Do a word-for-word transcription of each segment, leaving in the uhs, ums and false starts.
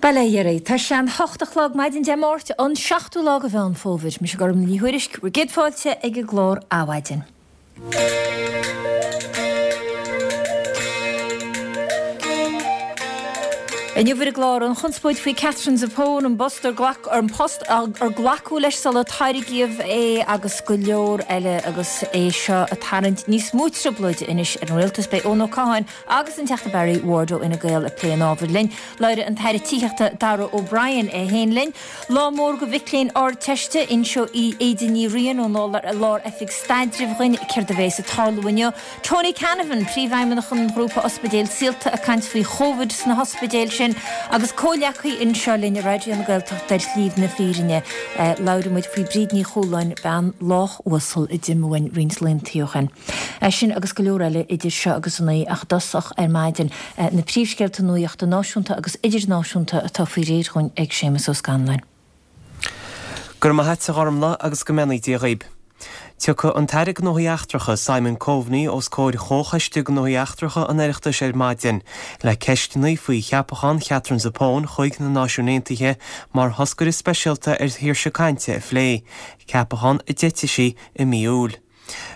Bail ó Dhia oraibh. Tá sé an hocht a chlog maidin Dé Máirt, an seachtú lá de Mheán Fómhair. Mise Gormlaith Ní Thuairisg, bhur gcéad fáilte ag an gclár Adhmhaidin. Inniu ar an gclár, an chonspóid faoi Katherine Zappone, an post ar glac, an post ar glacadh leis sular tairgíodh é agus go leor eile agus é seo ag tarraingt níos mó trioblóide anois ar an rialtas. Beidh Eoin Ó Catháin agus an Teachta Barry Ward ó Fhine Gael ag plé an ábhair linn. Labhróidh an tAire Tithíochta Darragh O'Brien é féin linn. Lá mór do mhic léinn Ardteiste, inseoidh Aoide Ní Riain ón Lár-Oifig Staidrimh dhuinn céard a bheas ag tarlú inniu. Tony Canavan, Príomhfheidhmeannach an Ghrúpa Ospidéal Saolta ag caint faoi Chóvid sna hospidéil sin agus comhghleacaí anseo linn i Raidió na Gaeltachta ar Shlí na Fírinne. Labhróidh muid faoi Bríd Ní Chualáin, bean lách uasal a d'imigh uainn roinnt laethanta ó shin. Sin agus go leor eile idir seo agus a naoi ach i dtosach ar maidin, na príomhscéalta nuachta náisiúnta agus idirnáisiúnta atá faoi réir dhúinn ag Séamus Ó Scanláin. Go raibh maith a't a Ghormlaith agus go mbeannaí Dia dhaoib. Tiocfaidh an tAire Gnóthaí Eachtracha Simon Coveney os comhair Chomhchoiste Gnóthaí Eachtracha an Oireachtais ar maidin le ceisteanna faoi cheapachán Katherine Zappone chuig na Náisiúin Aontaithe mar thoscaire speisialta ar shaoirse cainte a phlé, ceapachán a d'eitigh sí i mí Iúil.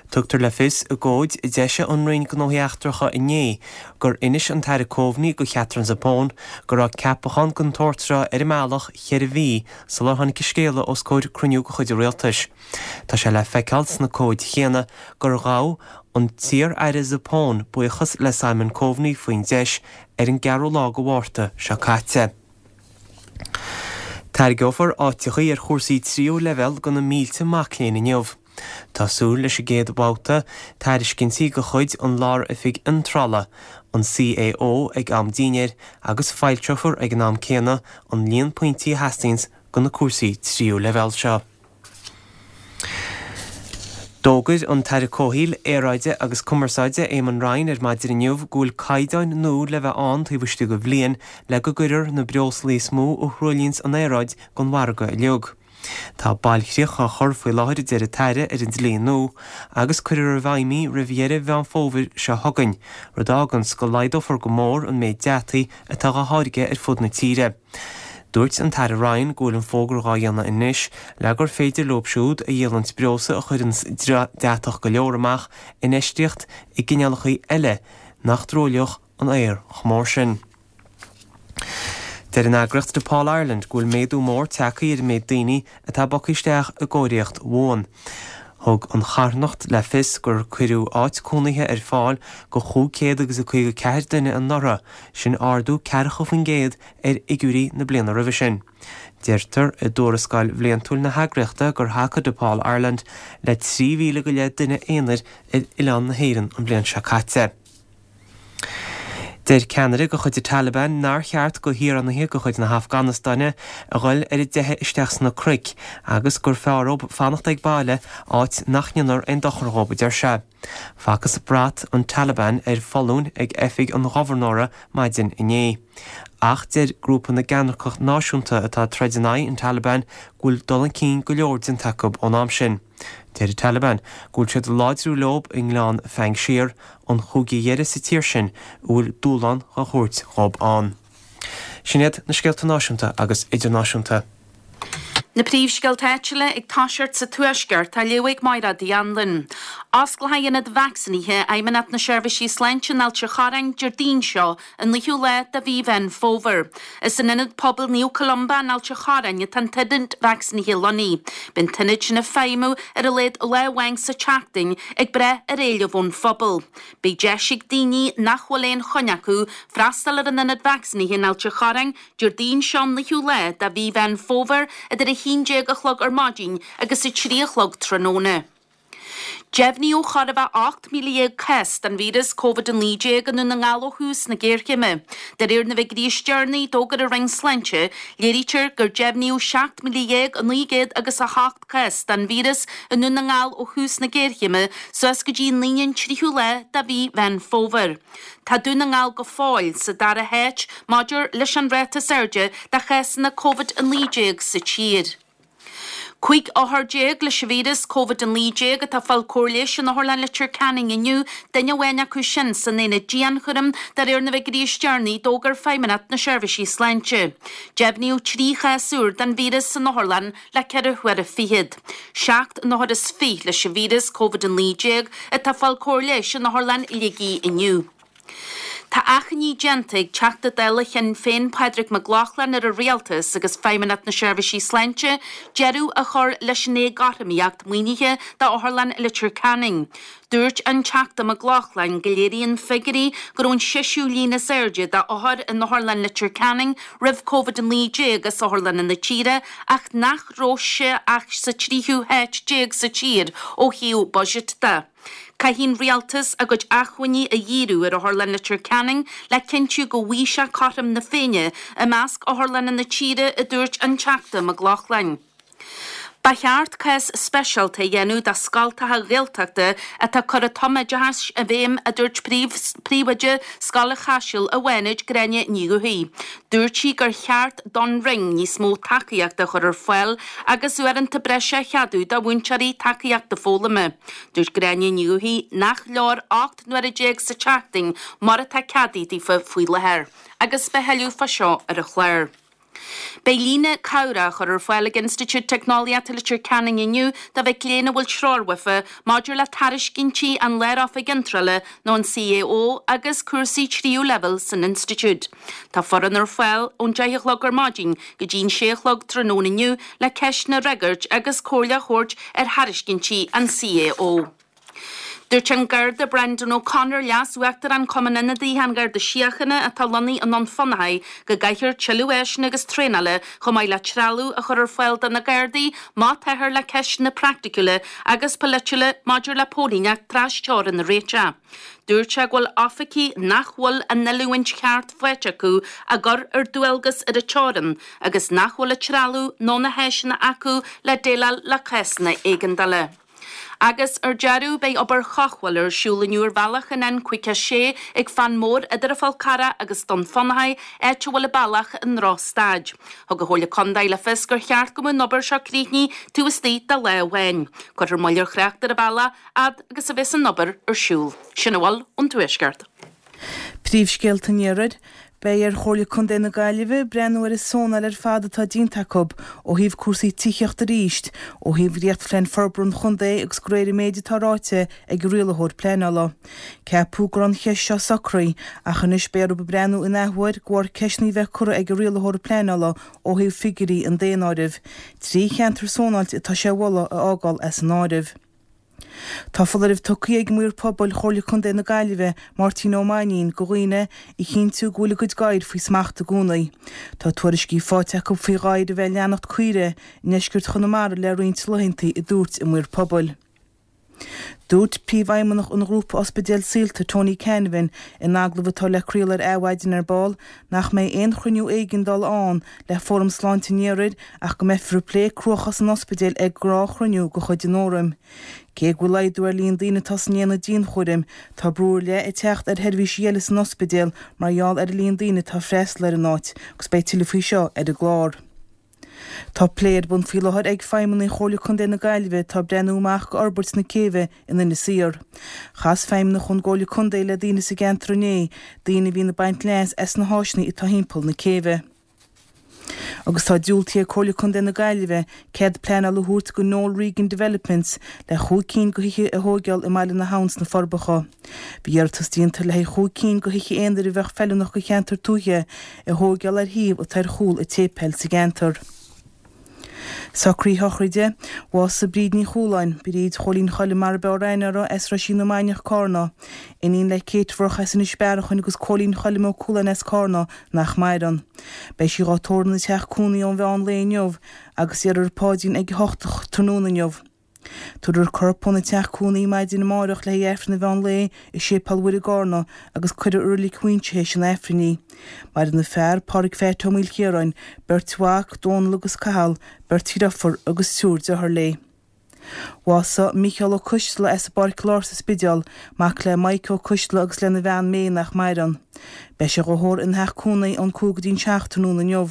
Tugtar le fios i gcomhad a d'eisigh an Roinn Gnóthaí Eachtracha inné gur inis an tAire Coveney do Katherine Zappone go raibh ceapachán den tsórt seo ar an mbealach ceithre mhí sular tháinig an scéala os comhair cruinniú de chuid an rialtais. Tá sé le feiceáil sna comhaid chéanna gur ghabh an t-iar-aire Zappone buíochas le Simon Coveney faoin deis ar an gceathrú lá de Mhárta seo caite. Tairgeofar áiteachaí ar chúrsaí tríú leibhéal do na mílte mac léinn inniu. Tá súil leis an gcéad bhabhta tairiscintí de chuid an Lár-Oifig Iontrála, an CAO, ag am dinnéir agus foilseofar ag an am céanna an líon pointí a theastaíonns do na cúrsaí tríú leibhéal seo. D'fhógair an tAire Comhshaoil, Aeráide agus Cumarsáide Eamon Ryan ar maidin inniu go bhfuil caighdeáin nua le bheith ann taobh istigh de bhliain le go gcuirfear na breoslaí is mó a thruaillíonns an aeráid den mhargadh uilig. Tá bailchríoch á chur faoi láthair, a deir an tAire, ar an dlí nua agus cuirfear i bhfeidhm í roimh dheireadh Mheán Fómhair seo chugainn, rud a fháganns go laghdófar go mór an méid deataigh atá dhá tháirgeadh ar fud na tíre. Dúirt an tAire Ryan go bhfuil an fógra dhá dhéanamh anois le gur féidir leob siúd a dhíolanns breosla a chuireanns deatach go leor amach infheistíocht i gcineálacha eile nach dtruailleodh an aer chomh mór sin. Deir an eagraíocht Depaul Ireland go bhfuil méadú mór tagtha ar an méid daoine atá bogtha isteach i gcóiríocht bhuan. Thug an charthanacht le fios gur cuireadh áit cónaithe ar fáil do chúig chéad agus a caoga ceathair duine anuraidh, sin ardú ceathracha faoin gcéad ar fhigiúirí na bliana roimhe sin. Deirtear i dtuarascáil bhliantúil na heagraíochta gur thacaigh Depaul Ireland le trí mhíle go leith duine aonair ar oileán na hÉireann an bhliain seo caite. Deir ceannaire de chuid an Taliban nár cheart do shaoránaithe de chuid na hAfganastáine a dhul ar a dteitheadh isteach sna cnoic agus gur fearr dhóibh fanacht ag baile, áit nach ndéanfar aon dochar dhóibh, a deir sé. Facthas brat an Taliban ar foluain ag oifig an ghobharnóra maidin inné. Ach deir grúpa na gCeannairceach Náisiúnta atá ag troid in aghaidh an Taliban go bhfuil dul chun cinn go leor déanta acu ón am sin. Deir an Taliban go bhfuil siad ag láidriú leob i ngleann Phanjshir, an chúige dheiridh sa tír sin a bhfuil dúshlán dhá thabhairt dhób ann. Sin iad na scéalta náisiúnta agus idirnáisiúnta. Na príomhscéalta áitiúla ag toiseacht sa Tuaisceart á léamh ag Mairéad Uí Anluain. Osclóidh Ionad Vacsaínithe Fheidhmeannacht na Seirbhísí Sláinte in Ailt an Chorráin Déardaoin seo, an naoú lá de mhí Mheán Fómhair. Is in Ionad Pobail Naomh Columba in Ailt an Chorráin atá an t-ionad vacsaínithe lonnaithe. Beidh an t-ionad sin ag feidhmiú ar a laghad lá amháin sa tseachtain ag brath ar éileamh ón phobal. Beidh deis ag daoine nach bhfuil aon choinne acu freastal ar an ionad vacsaínithe in Ailt an Chorráin Déardaoin seo an naoú lá de mhí Mheán Fómhair idir a haon déag a chlog ar maidin agus a trí a chlog tráthnóna. Deimhníodh chóir a bheith ocht míle dhéag cás den víreas Covid a naoi déag i nDún na nGall ó thús na géarchéime. De réir na bhfigiúirí is deireanaí a d'fhógair an Roinn Sláinte, léirítear gur deimhníodh seacht míle dhéag naoi gcéad agus a hocht cás den víreas i nDún na nGall ó thús na géarchéime suas go dtí an Aoine an tríú lá de mhí Mheán Fómhair. Tá Dún na nGall go fóill sa dara háit maidir leis an ráta is airde de chásanna Covid a naoi déag sa tír. Cúig othar déag leis an víreas Covid a naoi déag atá ag fáil cóir leighis in Otharlann Leitir Ceanainn inniu, duine amháin acu sin san aonad dianchúraim de réir na bhfigiúirí is deireanaí a d'fhógair Feidhmeannacht na Seirbhísí Sláinte. Deimhníodh trí chás úr den víreas san otharlann le ceithre huaire fichead. Seacht n-othar is fiche leis an víreas Covid a naoi déag atá ag fáil cóir leighis in Otharlann Shligigh inniu. Tá achainí déanta ag Teachta Dála Shinn Féin Pádraig Mac Lochlainn ar an Rialtas agus Feidhmeannacht na Seirbhísí Sláinte deireadh a chur leis an éagothromaíocht maoinithe d'Otharlann Leitir Ceanainn. Dúirt an Teachta Mac Lochlainn go léiríonn figiúirí go raibh an seisiú líon is airde d'othair in Otharlann Leitir Ceanainn roimh Covid a naoi déag as otharlanna na tíre ach nach raibh sé ach sa tríú háit déag sa tír ó thaobh buiséid de. Caithfidh an Rialtas a gcuid acmhainní a dhíriú ar Otharlann Leitir Ceanainn le cinntiú go bhfaighidh sé cothrom na Féinne i measc otharlanna na tíre, a dúirt an Teachta Mac Lochlainn. Ba cheart cás speisialta a dhéanamh do scoltacha Gaeltachta atá ag cur an tumoideachas i bhfeidhm, a dúirt príomhoide Scoil an Chaisil i bhFánaid, Gráinne Ní Dhubhthaigh. Dúirt sí gur cheart don Roinn níos mó tacaíochta a chur ar fáil agus uaireanta breise a cheadú do mhúinteoirí tacaíochta foghlama. Dúirt Gráinne Ní Dhubhthaigh nach leor ocht n-uaire déag sa tseachtain mar atá ceadaithe daofa faoi láthair. Agus beidh tuilleadh fá seo ar an chlár. Beidh líne cabhrach á chur ar fáil ag Institiúid Teicneolaíochta Leitir Ceanainn inniu do mhic léinn a bhfuil treoir uafa maidir le tairiscintí an Lár-Oifig Iontrála nó an CAO agus cúrsaí tríú leibhéal san institiúid. Tá foireann ar fáil ón deich a chlog ar maidin go dtí an sé a chlog tráthnóna inniu le ceisteanna a fhreagairt agus comhairle a thabhairt ar thairiscintí an CAO. Dúirt an Garda Brendan O'Connor, Leas-Uachtarán Chumann Ionadaithe an Gharda Síochána atá lonnaithe i nDún Fionnachaidh, go gcaithfear tuilleadh áiseanna agus traenála chomh maith le trealamh a chur ar fáil do na Gardaí má táthar le ceisteanna praiticiúla agus polaitiúla maidir le póilíneacht trasteorann a réiteach. Dúirt sé go bhfuil oifigigh nach bhfuil an oiliúint cheart faighte acu á gcur ar dualgas ar an teorainn agus nach bhfuil an trealamh nó na háiseanna acu le déileáil le cásanna éigeandála. Agus ar deireadh, beidh obair chothabhála ar siúl inniu ar bhealach an N caoga sé ag Fán Mór idir an Fál Carrach agus Dún Fionnachaidh, áit a bhfuil an bealach i ndrochstaid. Thug an Chomhairle Contae le fios gur cheart go mbeadh an obair seo críochnaithe taobh istigh de lá amháin. Cuirfear moill ar thrácht ar an bhealach fhad agus a bheas an obair ar siúl. Sin a bhfuil ón Tuaisceart. Príomhscéalta an Iarthair. Beidh ar Chomhairle Contae na Gaillimhe breathnú ar an sónáil ar fad atá déanta acu ó thaobh cúrsaí tithíochta arís, ó thaobh dhréachtphlean forbartha an chontae agus de réir an méid atá ráite ag an rialaitheoir pleanála. Ceapadh go raibh an cheist seo socraithe ach anois beidh orthu breathnú in athuair de bharr ceisteanna a bheith curtha ag an rialaitheoir pleanála ó thaobh figiúirí an daonáirimh. Trí cheantar sónáilte atá sé a mholadh a fhágáil as an áireamh. Tá foláireamh tugtha ag Maor Pobail Chomhairle Contae na Gaillimhe, Máirtín Ó Mainnín, do dhaoine a chinntiú go bhfuil a gcuid gadhair faoi smacht i gcónaí. Tá tuairiscí faighte acu faoi ghadhair a bheith ag leanacht caoire i ndeisceart Chonamara le roinnt laethanta, a dúirt an Maor Pobail. Dúirt Príomhfheidhmeannach an Ghrúpa Ospidéal Saolta, Tony Canavan, in agallamh atá le craoladh ar Adhmhaidin ar ball, nach mbeidh aon chruinniú éigeandála ann le Fóram Sláinte an Iarthair ach go mbeifear ag plé cruachás an ospidéil ag gnáthchruinniú de chuid an Fhóraim. Cé go bhfuil laghdú ar líon daoine atá san aonad dianchúraim, tá brú ar leith ag teacht ar sheirbhísí eile san ospidéal mar gheall ar an líon daoine atá ag freastal ar an áit agus beidh tuilleadh faoi seo ar an gclár. Tá plé ar bun faoi láthair ag feidhmeannaigh Chomhairle Contae na Gaillimhe atá ag breathnú amach go fhorbairt na céibhe in Inis Oírr. Chas feidhmeannach ón gComhairle Contae le daoine sa gceantar inné, daoine a bhíonn ag baint leas as na háiseanna atá thimpeall na céibhe. Agus tá diúltaithe ag Comhairle Contae na Gaillimhe cead pleanála a thabhairt go Noel Regan Developments le chúig cinn de thithe a thóigeáil i mBaile na hAbhann sna Forbacha. Bhí iarratas déanta le haghaidh chúig cinn de thithe aonair a bheadh feiliúnach do cheantar tuaithe a thóigeáil ar shuíomh atá ar chúl an tséipéil sa gceantar. Socruithe sochraide, Bhásaigh Bríd Ní Chualáin, Bríd Chóilín Choilm mar ab fhearr aithne uirthi, as Roisín na Mainiach, Cárna. Iníon le Kate Mhurchadh as Inis Bearachain agus Cóilín Choilm Ó Cualáin as Cárna, nach maireann. Beidh sí dhá tórramh ina teach cónaí ón mheán lae inniu agus déarfar paidrín ag a hocht tráthnóna inniu. Tabharfar a corp óna teach cónaí maidin amárach le haghaidh Aifreann an mheán lae i Séipéal Mhuire i gCárna agus cuirfear i Reilig Mhuinseo théis an Aifrinn í. Maireann a fear, Pádraig Pheait Ó Maoilchiaráin, beirt mhac, Dónal agus Cathal, beirt dhriofúr agus triúr dearthár léi. Bhásaigh Mícheál Ó Coisteala as an bPáirc Láir sa Spidéal, mac le Mike Ó Coisteala agus lena bhean May nach maireann. Beidh sé dhá thórramh ina theach cónaí ón cúig go dtí'n seacht tráthnóna inniu.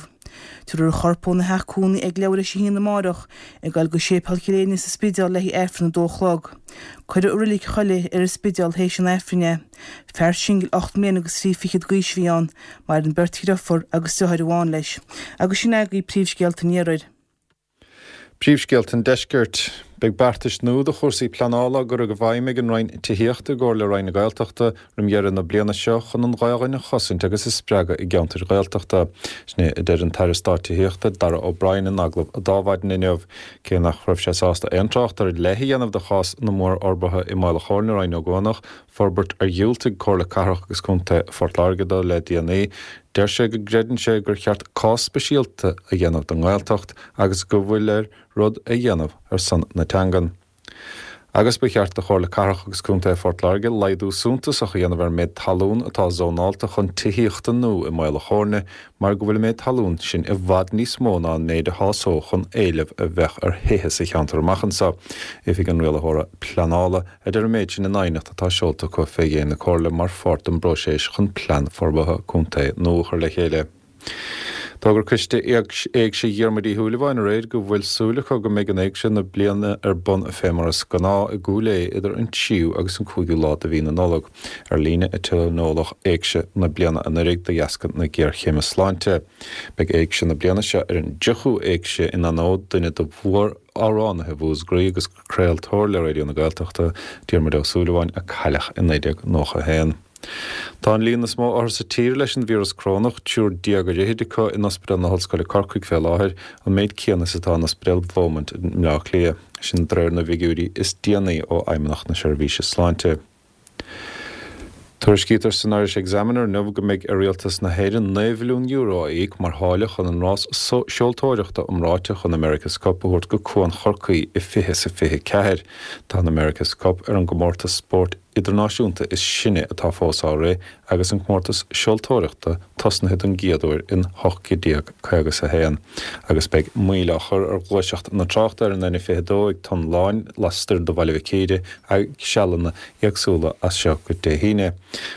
Tabharfar a chorp óna theach cónaí ag leathuair théis a haon amárach, ag dul go Séipéal Chill Éirne sa Spidéal le haghaidh Aifreann a dó a chlog. Cuirfear i Reilig Choilligh ar an Spidéal théis an Aifrinn é. Fear singil ocht mbliana agus trí fichead d'aois a bhí ann. Maireann beirt dheirfiúr agus deartháir amháin leis. Agus sin agaibh príomhscéalta an iarthair. Príomhscéalta an Deiscirt. Beidh beartais nua do chúrsaí pleanála á gcur i bhfeidhm ag an Roinn Tithíochta i gcomhar le Roinn na Gaeltachta roim dheireadh na bliana seo chun an Ghaelainn a chosaint agus a spreagadh i gceantair Ghaeltachta. Sin é a deir an tAire Stáit Tithíochta Darragh O'Brien in agallamh a d'adhmhaidin inniu. Cé nach raibh sé sásta aon trácht ar leith a dhéanamh do chás na mórfhorbartha i mBaile Chomhairle Rinn Ó gCuanach, forbairt ar dhiúltaigh Comhairle Cathrach agus Contae Phort Láirge dó le déanaí, deir sé go gcreideann sé gur cheart cás speisialta a dhéanamh don nGaeltacht agus go bhfuil air rud a dhéanamh ar son na teangan. Agus ba cheart do Chomhairle Cathrach agus Contae Phort Láirge laghdú suntasach a dhéanamh ar an méid talún atá zónálta chun tithíochta nua i mBaile Chomhairne mar go bhfuil an méid talún sin i bhfad níos mó ná an méid a shásódh an éileamh a bheadh ar thithe sa cheantar amach anseo. Oifig an Rialaitheora Pleanála a deir an méid sin in aighneacht atá seolta acu fé dhéin na Comhairle mar pháirt den bpróiseas chun plean forbartha contae nua a chur le chéile. D'fhógair Coiste Éigse Dhiarmuid Uí Shúilleabháin aréir go bhfuil súil acu go mbeidh an éigse na bliana ar bun fé mar is gnáth i gCúil Aodha idir an tríú agus an cúigiú lá de mhí na Nollag. Ar líne a tionóladh éigse na bliana anuraidh de dheasca na géarchéime sláinte. Beidh éigse na bliana seo ar an dtríochú éigse in onóir duine de mhór-amhránaithe Mhúscraí agus craoltóir le Raidió na Gaeltachta, Diarmuid Ó Súilleabháin, a cailleadh i naoi déag nócha a haon. Tá an líon is mó othar sa tír leis an víreas corónach, triúr déag ar fhichid acu in Ospidéal na hOllscoile Corcaigh fé láthair, an méid céanna is atá in Ospidéal Beaumont i mBleá Cliath. Sin de réir na bhfigiúirí is déanaí ó Fheidhmeannacht na Seirbhíse Sláinte. Tuairiscítear san Irish Examiner inniu go mbeidh ar Rialtas na hÉireann naoi mhilliún euro a íoc mar tháille chun an rás seoltóireachta iomráiteach an America's Cup a thabhairt go Cuan Chorcaí i fiche is a fiche ceathair. Tá an America's Cup ar an gcomórtas spóirt idirnáisiúnta is sine atá fós á rith agus an comórtas seoltóireachta tosnaithe don gcéad uair in ocht déag caoga is a haon. Agus beidh moill á chur ar ghluaiseacht na tráchta ar an N fiche dó ag Tonn Láin lastoir de Bhaile Mhic Íre ag sealanna éagsúla as seo go Dé hAoine.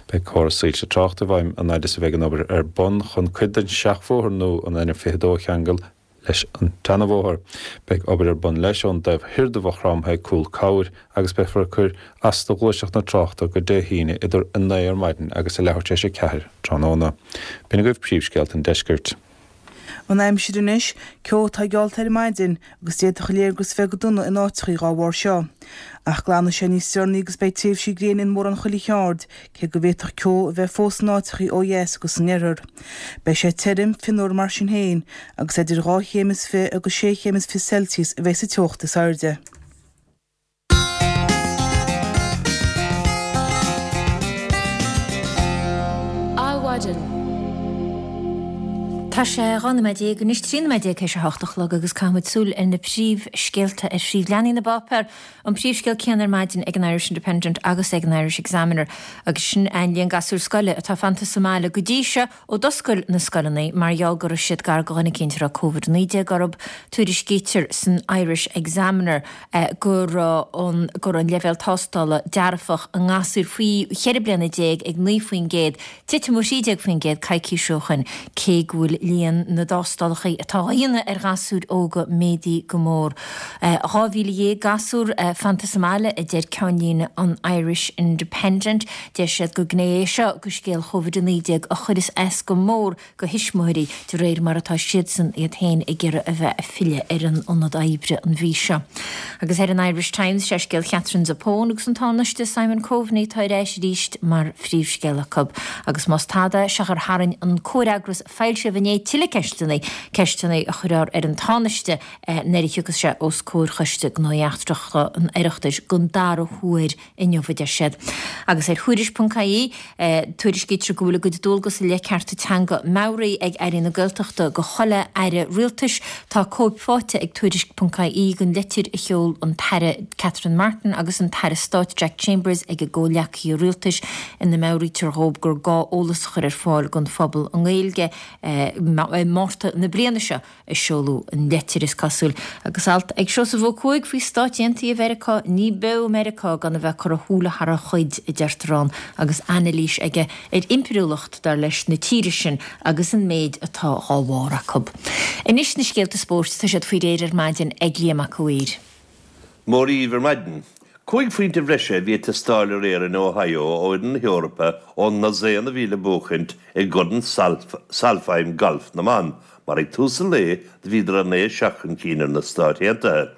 Beidh córas soilse tráchta i bhfeidhm an fhaid is a bheidh an obair ar bun chun cuid den seachbhóthar nua an N fiche dó a cheangal leis an tseanabhóthar. Beidh obair ar bun leis ón dtaobh thoir de Mhaigh Chromtha ag Cúl Cabhair agus beifear ag cur as do ghluaiseacht na tráchta go Dé hAoine idir a naoi ar maidin agus a leathuair tar éis a ceathair tráthnóna. B'in agaibh príomhscéalta an deiscirt. An aimsir anois, ceo atá geallta ar maidin agus d'fhéadfadh a léargas bheith go dona in áiteachaí dhá bharr seo. Ach glanfaidh sé níos deireanaí agus beidh tréimhsí gréine in mórán chuile cheard, cé go bhféadfadh ceo a bheith fós in áiteachaí ó dheas agus san oirthear. Beidh sé tirim, fionnuar mar sin féin, agus idir dhá chéim is fiche agus sé chéim is fiche Celsius a bheidh sa teocht is airde. Adhmhaidin. Tá sé dhá nóiméad déag anois, trí nóiméad déag théis a hocht a chlog agus caithfimid súil ar na príomhscéalta ar phríomhleathanaigh na bpáipéar. An príomhscéal céanna ar maidin ag an Irish Independent agus ag an Irish Examiner agus sin an líon gasúr scoile atá fanta sa mbaile go dtí seo ó d'oscail na scoileanna mar gheall go raibh siad gar do dhuine eicínt a raibh Covid naoi déag orthu. Tuairiscítear san Irish Examiner go raibh an go raibh an leibhéal tástála dearfach i ngasúir faoi cheithre bliana déag ag naoi faoin gcéad, titim ó thrí déag faoin gcéad coicís ó shin, cé go bhfuil líon na dtástálacha atá á dhéanamh ar ghasúir óga méadaithe go mór. Dhá mhíle dhéag gasúr fanta sa mbaile, a deir ceannlíne an Irish Independent. Deir siad gur gné é seo de scéal Covid a naoi déag a chuireas as go mór do thuismitheoirí de réir mar atá siadsan iad féin ag iarraidh a bheith ag filleadh ar an ionad oibre an mhí seo. Agus ar an Irish Times, sé scéal Catherine Zappone agus an Tánaiste Simon Coveney atá ar ais arís mar phríomhscéal acu. Agus más tada, sé gur tharraing an comhfhreagras a foilsíodh inné tuilleadh ceisteanna, ceisteanna a chuirfear ar an Tánaiste nuair a thiocfas sé os comhair Choiste Gnóthaí Eachtracha an Oireachtais don dara huair inniu, a deir siad. Agus ar Thuairisc ponc ie, tuairiscítear go bhfuil a gcuid dualgas i leith cearta teanga meabhraithe ag Airí na Gaeltachta do chuile Aire Rialtais. Tá cóip faighte ag Tuairisc ponc ie den litir a sheol an tAire Catherine Martin agus an tAire Stáit Jack Chambers ag a gcomhghleacaithe rialtais ina meabhraítear dhóibh gur gá eolas a chur ar fáil don phobal i nGaeilge i Márta na bliana seo a seoladh an leitir is cosúil. Agus alt ag Seosamh Ó Cuaig faoi Stáit Aontaithe Mheiriceá, ní beo Meiriceá gan a bheith ag cur a shúile thar a chuid, a deirtear ann, agus anailís aige ar impiriúlacht, dar leis, na tíre sin agus an méid atá dhá bharr acu. Anois na scéalta spóirt, tá siad faoi réir ar maidin ag Liam Mac a' Mhaoir. Móra dhíbh ar maidin. Cúig phointe bhreise a bhí ag teastáil aréir in Ohio ó fhoireann na hEorpa ón ndosaen a bhí le buachaint i gCorn Solheim Gailf na mBan, mar ag tús an lae do bhíodar naoi a seacht chun cinn ar na Stáit Aontaithe.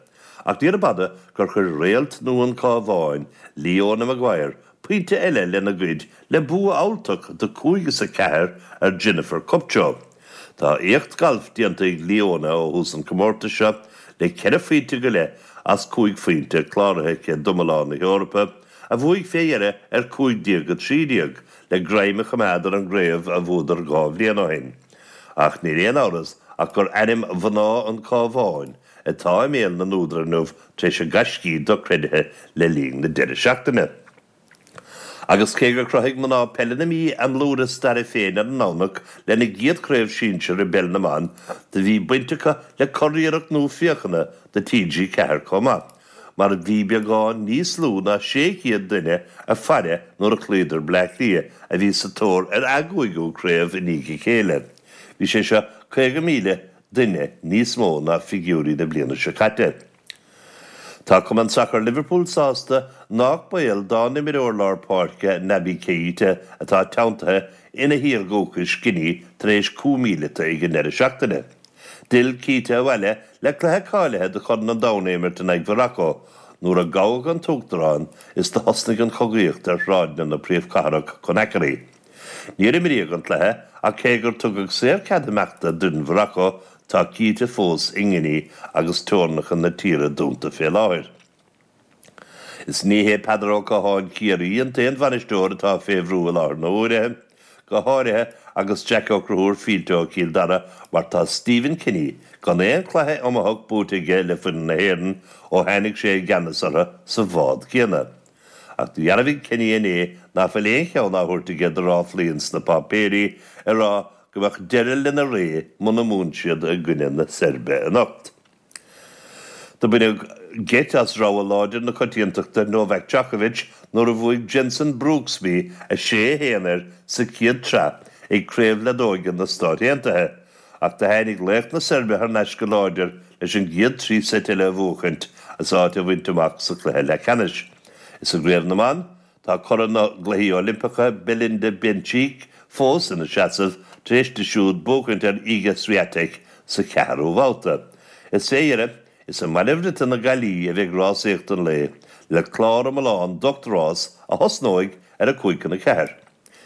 Ach níorbh fhada gur chuir réalt nua an Chabháin, Leona Maguire, pointe eile lena gcuid le bua fabhaltach de cúig is a ceathair ar Jennifer Kupcho. Tá éacht gailf déanta ag Leona ó thús an chomórtais seo le ceithre phointe go leith as cúig phointe cláraithe aici d'iomlán na hEorpa, a bhuaigh fé dheireadh ar cúig déag a trí déag, le greim a choimeád ar an gcraobh a bhuadar dhá bhliain ó shin. Ach níl aon amhras ach gur ainm mhná an Chabháin atá i mbéal na n-údar inniu tar éis a gaiscí dochreidthe le linn na deireadh seachtaine. Agus cé gur chruthaigh mná peile na Mí a mblúire staire féin ar an nDomhnach lena gcéad chraobh sinsir i bpeil na mban, do bhí baint acu le curiarracht nua féachana do T G ceathair chomh maith, mar bhí beagán níos lú ná sé chéad duine ag faire nuair a chloíodar Bleá Cliath, a bhí sa tóir ar a gcúigiú craobh i ndiaidh a chéile. Bhí sé seo caoga míle duine níos mó ná figiúirí na bliana seo caite. Tá Cumann Sacair Liverpool sásta nách baol dá n-imreoir lár páirce Naby Keita atá teanntaithe ina thír dhúchais Guinea tar éis coup míleata ag an deireadh seachtaine. D'fhill Keita abhaile le cluiche cáilithe do Chorn an Domhain a imirt in aghaidh Mhorocco nuair a gabhadh an t-uachtarán is do thosnaigh an chogaíocht ar shráideanna na príomhchathrach Conakry. Níor imríodh an cluiche ach cé gur tugadh saorchead imeachta d'fhoireann Mhorocco, tá Keita fós i nGuinea agus teorainneacha na tíre dúnta fé láthair. Is ní hé Peadar Ó Catháin Ciarraí an t-aon bhainisteoir atá fé bhrú i láthair na huaire, go háirithe agus Jack Ó Conchúir fillte ó Chill Dara mar tá Stephen Kenny gan aon chluiche iomaitheach buaite aige le foireann na hÉireann ó tháinig sé i gceannas orthu sa bhád céanna. Ach dhearbhaigh Kenny inné ná fuil aon cheann á thabhairt aige do ráflaí ins na páipéirí ag rá go mbeadh deireadh lena ré muna mbuann siad i gcoinne na Seirbe anocht. Do baineadh geit as rogha láidir na coitiantachta Novak Djokovic nuair a bhuaigh Jenson Brooksby a sé a haon air sa chéad tsraith ag Craobh Leadóige na Stát Aontaithe, ach do tháinig laoch na Seirbe thar n-ais go láidir leis an gcéad trí seit eile a bhuachaint is áit a bhaint amach sa chluiche leathcheannais. Is i gCraobh na mBan, tá curaidh na gCluichí Oilimpeacha Belinda Bencic fós ina seasamh tar éis di siúd buachaint ar Iga Swiatek sa cheathrú bhabhta. Is fé dheireadh, is i mBaile Bhriotaigh na Gaillí a bheidh rásaíocht an lae, le clár iomlán d'ocht rás a thosnóidh ar a cúig chun a ceathair.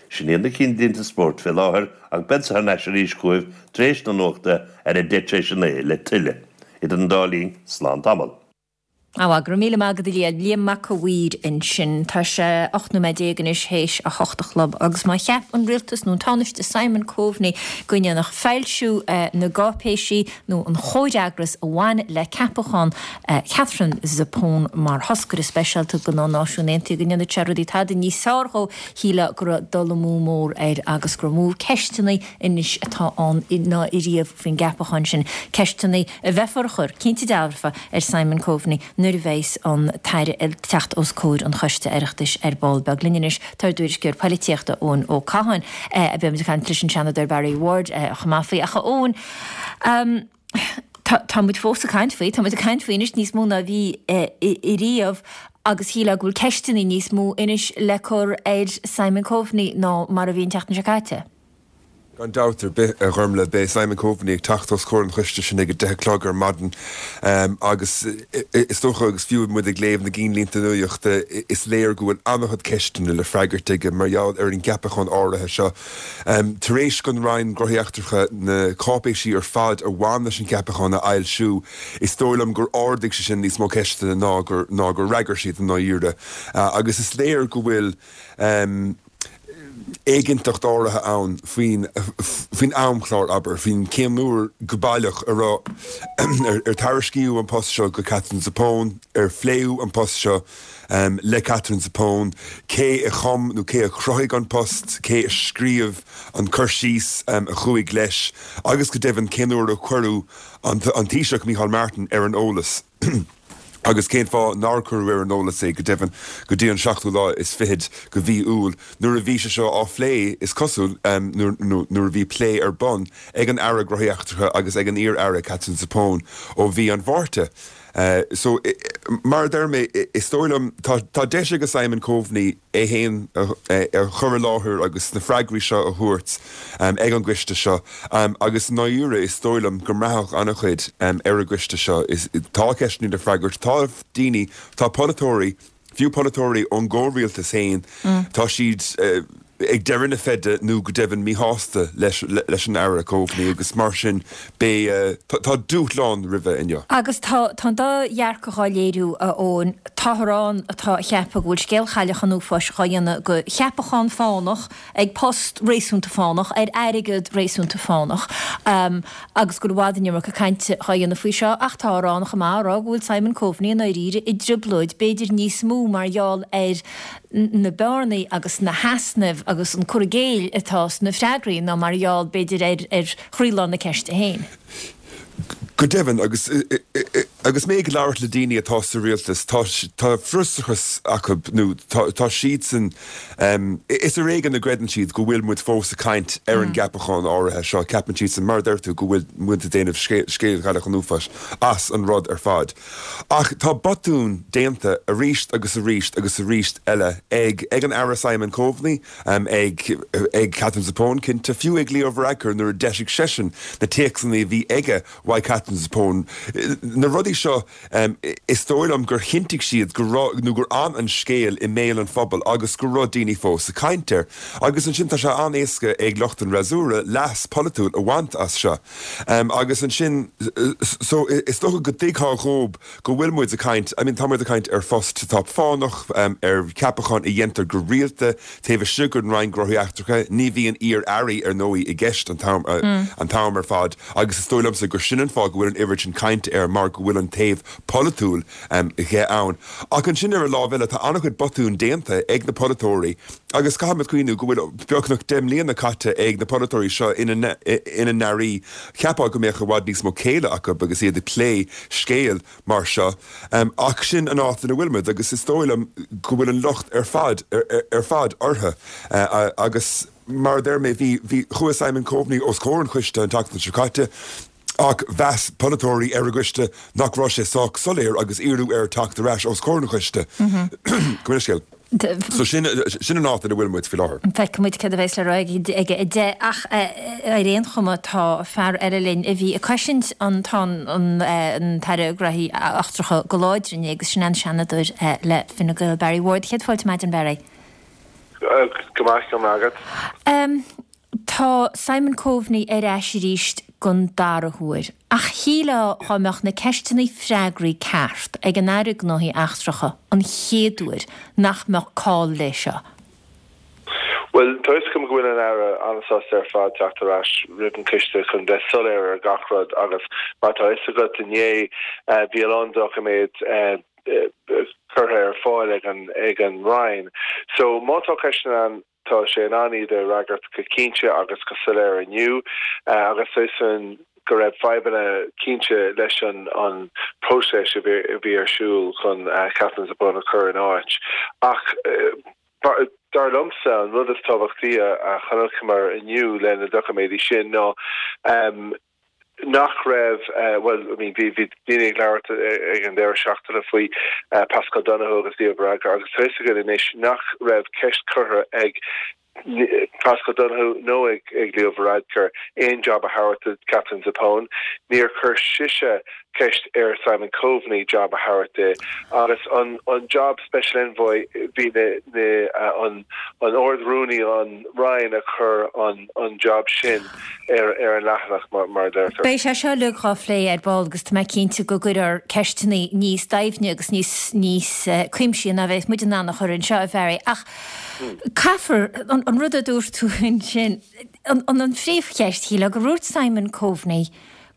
Sin iad na cinnlínte spóirt fé láthair ach beadsa thar n-ais arís chugaibh tar éis na nuachta ar a deich tar éis a naoi le tuilleadh. Idir an dá linn, slán tamall. Á, go raibh míle maith agat a Liam. Liam Mac a' Mhaoir ansin. Tá sé ocht nóiméad déag anois théis a hocht a chlog agus má cheap an rialtas nó an Tánaiste Simon Coveney go ndéanfadh foilsiú na gcáipéisí nó an chomhfhreagras a bhain le ceapachán Katherine Zappone mar thoscaire speisialta do na Náisiúin Aontaithe go ndéanfadh sé rudaí tada níos fearr dhó, shílfeá go raibh dul amú mór air agus gur mó ceisteanna anois atá ann ná ariamh faoin gceapachán sin. Ceisteanna a bheifear a chur, cinnte dearfa, ar Simon Coveney nuair a bheas an tAire ag teacht os comhair an Choiste Oireachtais ar ball beag. Linn anois tá ár dtuairisceoir poilitíochta Eoin Ó Catháin. Beidh muid ag caint leis an Seanadóir Barry Ward chomh maith faoi. Ach a Eoin, tá muid fós ag caint faoi, tá muid ag caint faoi anois níos mó ná a bhí ariamh agus shílfeá go bhfuil ceisteanna níos mó anois le cur ar Simon Coveney ná mar a bhí an tseachtain seo caite. Gan dabht ar bith, a Ghormlaith, beidh Simon Coveney ag teacht os comhair an choiste sin ag a deich a chlog ar maidin agus is dócha, agus fiú muid ag léamh na gcinnlínte nuachta, is léir go bhfuil an-chuid ceisteanna le freagairt aige mar gheall ar an gceapachán áirithe seo. Tar éis don Roinn Gnóthaí Eachtracha na cáipéisí ar fad a bhain leis an gceapachán a fhoilsiú, is dóigh liom gur ardaigh sé sin níos mó ceisteanna ná gur ná gur fhreagair siad i ndáiríre. Agus is léir go bhfuil. éiginnteacht áirithe ann faoin faoin amchlár, abair, faoin cén uair go baileach a raibh ar ar tairiscíodh an post seo go Katherine Zappone, ar phléadh an post seo le Katherine Zappone, cé a chum nó cé a chruthaigh an post, cé a scríobh an cur síos a chuaigh leis agus go deimhin cén uair a cuireadh an Taoiseach Micheál Martin ar an eolas. Agus cén fáth nár cuireadh ar an eolas é, go deimhin, go dtí an seachtú lá is fichead de mhí Iúil, nuair a bhí sé seo á phlé, is cosúil, nuair a bhí plé ar bun ag an Aire Gnóthaí Eachtracha agus ag an iar-Aire Katherine Zappone ó mhí an Mhárta. So, mar a deir mé, is dóigh liom, tá deis ag Simon Coveney é féin a chur i láthair agus na freagraí seo a thabhairt ag an gcoiste seo agus i ndáiríre is dóigh liom go mbraithfeadh an-chuid ar an gcoiste seo. Tá ceisteanna le freagairt, tá daoine, tá polaiteoirí, fiú polaiteoirí ón gcomhrialtas féin, tá siad ag deireadh na feide nó go deimhin míshásta leis an Aire Coveney agus mar sin beidh, tá dúshlán roimhe inniu. Agus tá an dá dhearcadh á léiriú, a Eoin. Táthar ann atá ag ceapadh go bhfuil scéal Chailleach an Uafáis dhá dhéanamh de cheapachán fánach ag post réasúnta fánach ar airgead réasúnta fánach agus go bhfuil i bhfad an iomarca cainte dhá dhéanamh faoi seo ach táthar ann chomh maith á rá go bhfuil Simon Coveney i ndáiríre i dtrioblóid, b'fhéidir níos mó mar gheall ar na bearnaí agus na heasnaimh agus an cur i gcéill atá sna freagraí ná mar gheall, b'fhéidir, ar ar chroílár na ceiste féin. Go deimhin, agus agus mé ag labhairt le daoine atá sa rialtas, tá tá frustrachas acu nó tá tá siadsan, is ar éigean a gcreideann siad go bhfuil muid fós ag caint ar an gceapachán áirithe seo. Ceapann siadsan, mar a deir tú, go bhfuil muid ag déanamh scéal Chailleach an Uafáis as an rud ar fad. Ach tá botúin déanta arís agus arís agus arís eile ag ag an Aire Simon Coveney, ag ag Katherine Zappone cinnte, fiú ag Leo Varadkar nuair a d'eisigh seisean na téacsanna a bhí aige uaidh Katherine Zappone. Na rudaí seo, is dóigh liom gur chinntigh siad go raibh nó gur fhan an scéal i mbéal an phobail agus go raibh daoine fós ag caint air. Agus ansin tá sé an-éasca ag lucht an fhreasúra leas polaitiúil a bhaint as seo. Agus ansin, so is dócha go dtuigfeá dhóib go bhfuil muid ag caint, I mean tá muid ag caint ar phost atá fánach, ar cheapachán a dhéantar go rialta taobh istigh den Roinn Gnóthaí Eachtracha, ní bhíonn iar-airí ar ndóigh i gceist an t-am an t-am ar fad agus is dóigh liomsa gur sin an fáth go bhfuil an oiread sin cainte air mar go bhfuil an taobh polaitiúil dhe ann. Ach ansin ar an lámh eile tá an-chuid botún déanta ag na polaiteoirí agus caithfimid cuimhniú go bhfuil beagnach deich mbliana caite ag na polaiteoirí seo ina ina n-airí. Cheapfá go mbeadh i bhfad níos mó céille acu agus iad ag plé scéal mar seo. Ach sin an áit ina bhfuil muid agus is dóigh liom go bhfuil an locht ar fad ar fad orthu agus mar a deir mé bhí bhí chuaigh Simon Coveney os comhair an choiste an tseachtain seo caite ach mheas polaiteoirí ar an gcoiste nach raibh sé sách soiléir agus iarradh air teacht ar ais os comhair an choiste. Go minic. So sin sin an áit ina bhfuil muid faoi láthair. Feicfidh muid céard a bheas le rá aige a deich ach ar aon chuma tá fear eile linn a bhí ag cosaint an an tAire Gnóthaí Eachtracha go láidir inné agus sin an Seanadóir le Fine Gael Barry Ward. Céad fáilte maidin Barry. Go maith go maith agat. Tá Simon Coveney ar ais arís don dara huair. Ach shílfeá dhá mbeadh na ceisteanna freagraí ceart ag an Aire Gnóthaí Eachtracha an chéad uair nach mbeadh call leis seo. Bhuel, tá fhios agam go bhfuil an Aire an-sásta ar fad teacht ar ais roimh an coiste chun bheith soiléir ar gach rud agus mar tá fhios agat inné bhí a lán doiciméad curtha ar fáil ag an ag an Roinn. So má tá ceisteanna ann tá sé in ann iad a fhreagairt go cinnte agus go soiléir inniu agus tá fhios againn go raibh fadhbanna cinnte leis an an próiseas a bhí ar siúl chun Katherine Zappone a chur in áit. Ach dar liomsa an rud is tábhachtaí a chonaiceamar inniu le na doiciméidí sin ná nach raibh, bhuel, I mean, bhí bhí daoine ag labhairt ag an deireadh seachtaine faoi Paschal Donohoe agus Leo Varadkar agus tá fhios againn anois nach raibh ceist curtha ag Paschal Donohoe nó ag ag Leo Varadkar aon job a thabhairt do Katherine Zappone. Níor chuir sise ceist ar Simon Coveney job a thabhairt di agus an an job Special Envoy bhí na na an an Ard-Rúnaí an Roinn a chur an an job sin ar ar an leathanach mar mar a deirtear. Beidh sé seo uilig dhá phlé ar ball agus tá mé cinnte go gcuirfear ceisteanna níos doimhne agus níos níos cuimsithí ná bheadh muid in ann a chur anseo, a Bharry. Ach caithfear an An rud a dúirt tú ansin, an an phríomhcheist, shílfeá gur dhúirt Simon Coveney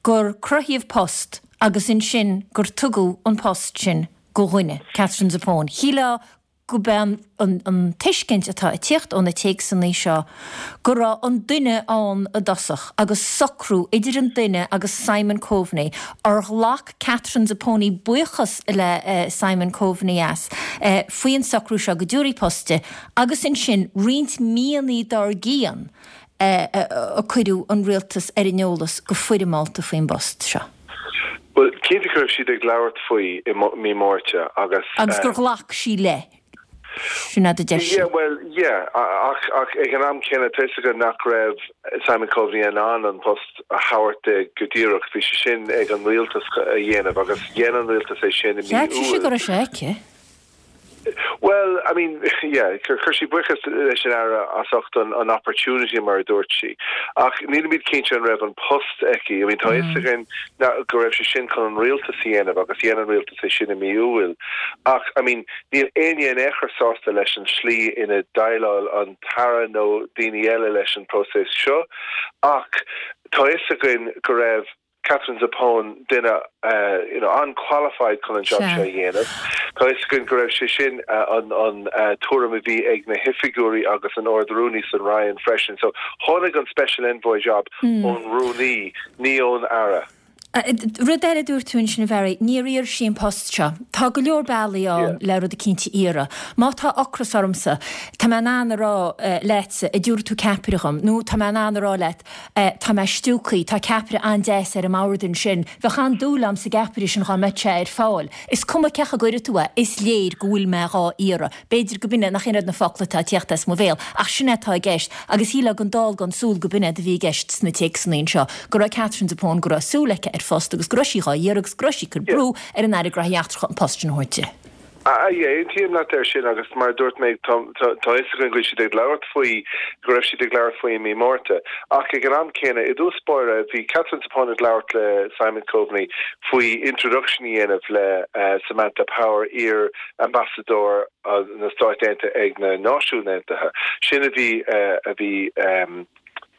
gur cruthaíodh post agus ansin gur tugadh an post sin go dhuine, Katherine Zappone. Shílfeá go b'é an an tuiscint atá ag tíocht ó na téacsanna seo go raibh an duine ann i dtosach agus socrú idir an duine agus Simon Coveney ar ghlac Katherine Zappone buíochas le Simon Coveney as faoin socrú seo go dtabharfaí post di agus ansin roinnt míonna dár gcionn a cuireadh an rialtas ar an eolas go foirmeálta faoin bpost seo. Bhuel, cinnte go raibh siad ag labhairt faoi i mí Márta agus. Agus gur ghlac sí le. Sin a deir sí. Yeah, well, yeah, ach ach ag an am céanna tá fhios againn nach raibh Simon Coveney in ann an post a thabhairt di go díreach. Bhí sé sin ag an rialtas a dhéanamh agus dhein an rialtas é sin i mí Cheap Iúil. sí go raibh sé aici. Well, I mean, yeah, chuir sí buíochas leis an Aire as ucht an, an opportunity mar a dúirt sí. Ach nílimid cinnte an raibh an post aici. I mean, tá fhios againn go raibh sé sin chun an rialtas a dhéanamh agus dhein an rialtas é sin i mí Iúil. Ach, I mean, níl éinne in aon chor sásta leis an slí ina déileáil an tAire nó daoine eile leis an próiseas seo. Ach tá fhios againn go raibh Katherine Zappone duine you know an-qualified chun an job seo a dhéanamh. Tá fhios againn go raibh sé sin an an tuairim a bhí ag na hoifigiúirí agus an Ard-Rúnaí san Roinn freisin. So tháinig an Special Envoy job ón Rúnaí, ní ón Aire. Rud eile a dúirt tú ansin, a Bharry, níor iarr sí an post seo. Tá go leor bealaí ann le rud eicínt a iarraidh. Má tá ocras ormsa, tá mé in ann a rá leatsa, an dtabharfaidh tú ceapaire dhom, nó tá mé in ann a rá leat, tá mé stiúgtha, tá ceapaire an-deas ar an mbord ansin, bheadh an-dúil agam sa gceapaire sin dhá mbeadh sé ar fáil. Is cuma cén chaoi a gcuirfidh tú é, is léir go bhfuil mé dhá iarraidh. B'fhéidir go b'in é, nach in iad na focla atá ag tíocht as mo bhéal, ach sin é atá i gceist. Agus shílfeá gan dall gan súil go b'in é a bhí i gceist sna téacsanna anseo, go raibh Katherine Zappone, go raibh súil aici ar phost agus go raibh sí dhá iarraidh agus go raibh sí ag cur brú ar an Aire Gnóthaí Eachtracha an post sin a thabhairt di. Aontaím leat air sin agus mar a dúirt mé tá fhios againn go bhfuil siad ag labhairt faoi, go raibh siad ag labhairt faoi i mí Márta. Ach ag an am céanna, i dtús báire, bhí Katherine Zappone ag labhairt le Simon Coveney faoi introduction a dhéanamh le Samantha Power, iar-ambasadóir na Stáit Aontaithe ag na Náisiúin Aontaithe. Sin a bhí a bhí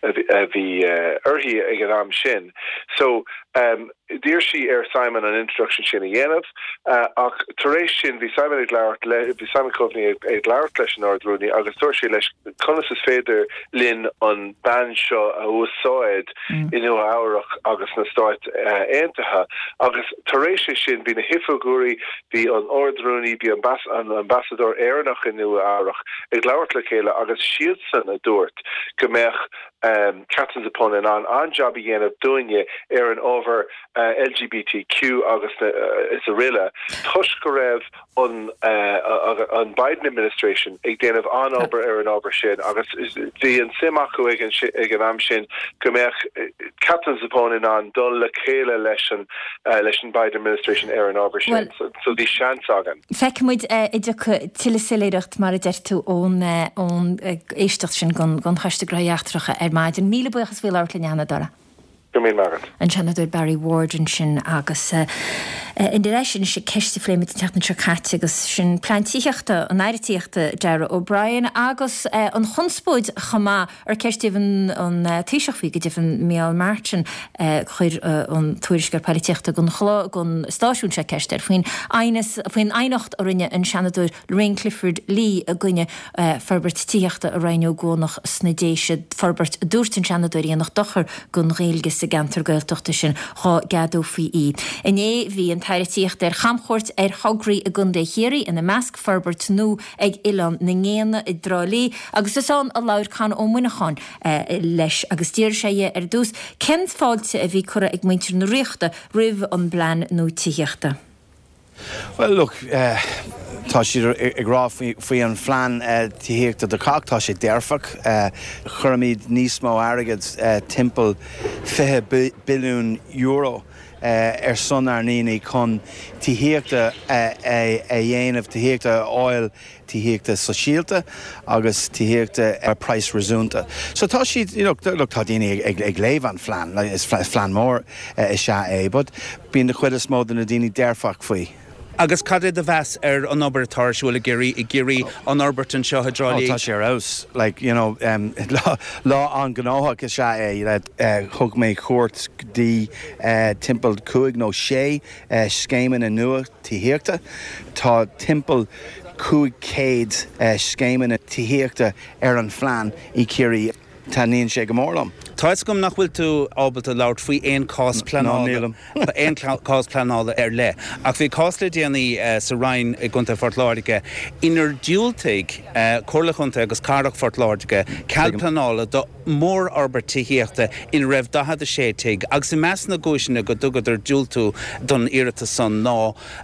a bhí uirthi ag an am sin. So um, d'iarr sí ar Simon an introduction sin a dhéanamh, uh, ach tar éis sin bhí Simon ag labhairt le bhí Simon Coveney ag, ag labhairt leis an Ard-Rúnaí agus dúirt sé leis conas is féidir linn an bean seo a úsáid mm. i Nua Eabhrac agus na Stáit uh, Aontaithe agus tar éis é sin bhí na hoifigiúirí bhí an Ard-Rúnaí bhí an, an ambasadóir Éireannach i Nua Eabhrac ag labhairt le chéile agus siadsan a dúirt go mbeadh um, Katherine Zappone in ann an-jab a dhéanamh dúinne ar an ábhar uh, LGBTQ agus na, uh, is araile toisc go raibh an uh, an Biden administration ag déanamh an-obair ar an ábhar sin agus bhí an suim acu ag an, ag an am sin go mbeadh Katherine Zappone in ann dul le chéile leis an uh, leis an Biden administration ar an ábhar sin well, so, so bhí seans againn. Feicfimid uh, idir tuilleadh soiléireacht mar a deir tú ón ón éisteacht sin gon gon Choiste Gnóthaí Eachtracha ar maidin. Míle buíochas faoi labhairt linn a Sheanadóra. Go raibh maith agat. An Seanadóir Barry Ward ansin agus uh, in leis sin sé ceist a phléigh muid an tseachtain seo caite agus sin plean tithíochta an Aire Tithíochta Darragh O'Brien agus uh, an chonspóid chomh maith ar ceistíodh an, an uh, Taoiseach faoi go deimhin Micheál Martin uh, chuir uh, an tuairisceoir polaitíochta gon chló gon stáisiún seo ceist air faoin faoin aighneacht a rinne an Seanadóir Lorraine Clifford Lee i gcoinne uh, forbairt tithíochta i Rinn Ó gCuanach sna Déise forbairt dúirt an Seanadóir a dhéanfadh dochar gon Ghaeilge sa gceantar Gaeltachta sin dhá gceadófaí í. Inné bhí an tAire Tithíochta ar chamchuairt ar thograí i gContae Chiarraí ina measc forbairt nua ag Oileán na nGéanna i dTrá Lí agus is ann a labhair Conn Ó Muineacháin eh, leis agus d'iarr sé dhe ar dtús cén fáilte a bhí curtha ag muintir na Ríochta roimh an bplean nua tithíochta. Well look, uh, tá siad ag rá faoi an phlean uh, tithíochta do chách tá sé dearfach uh, chuirimid níos mó airgead uh, timpeall fiche billiún euro uh, ar son ár ndaoine chun tithíochta uh, a dhéanamh tithíochta a fháil tithíochta sóisialta agus tithíochta ar praghas réasúnta. So tá siad you know, look, tá daoine ag, ag léamh an phlean like, is phlean mór uh, is ea é, but bíonn an chuid is mó de na daoine dearfach faoi. Agus cad é do mheas ar an obair atá ar siúl i gCiarraí, i gCiarraí, an fhorbairt anseo i dTrá Lí? Oh, tá sé ar fheabhas. Like, you know, um, lá, lá an-ghnóthach is ea é. Uh, thug mé cuairt go dtí uh, timpeall cúig nó sé uh, scéimeanna nua tithíochta. Tá timpeall cúig chéad uh, scéimeanna tithíochta ar an phlean i Ciarraí. Taitníonn sé go mór liom. Tá fhios agam nach bhfuil tú ábalta labhairt faoi aon cás pleanála aon cás pleanála ar leith, ach bhí cás le déanaí sa Rinn i gContae Phort Láirge inar diúltaigh Comhairle Chontae agus Cathrach Phort Láirge cead pleanála do mhórfhorbairt tithíochta ina raibh daichead a sé tigh agus i measc na gcúiseanna go dtugadar diúltú don iarratas san ná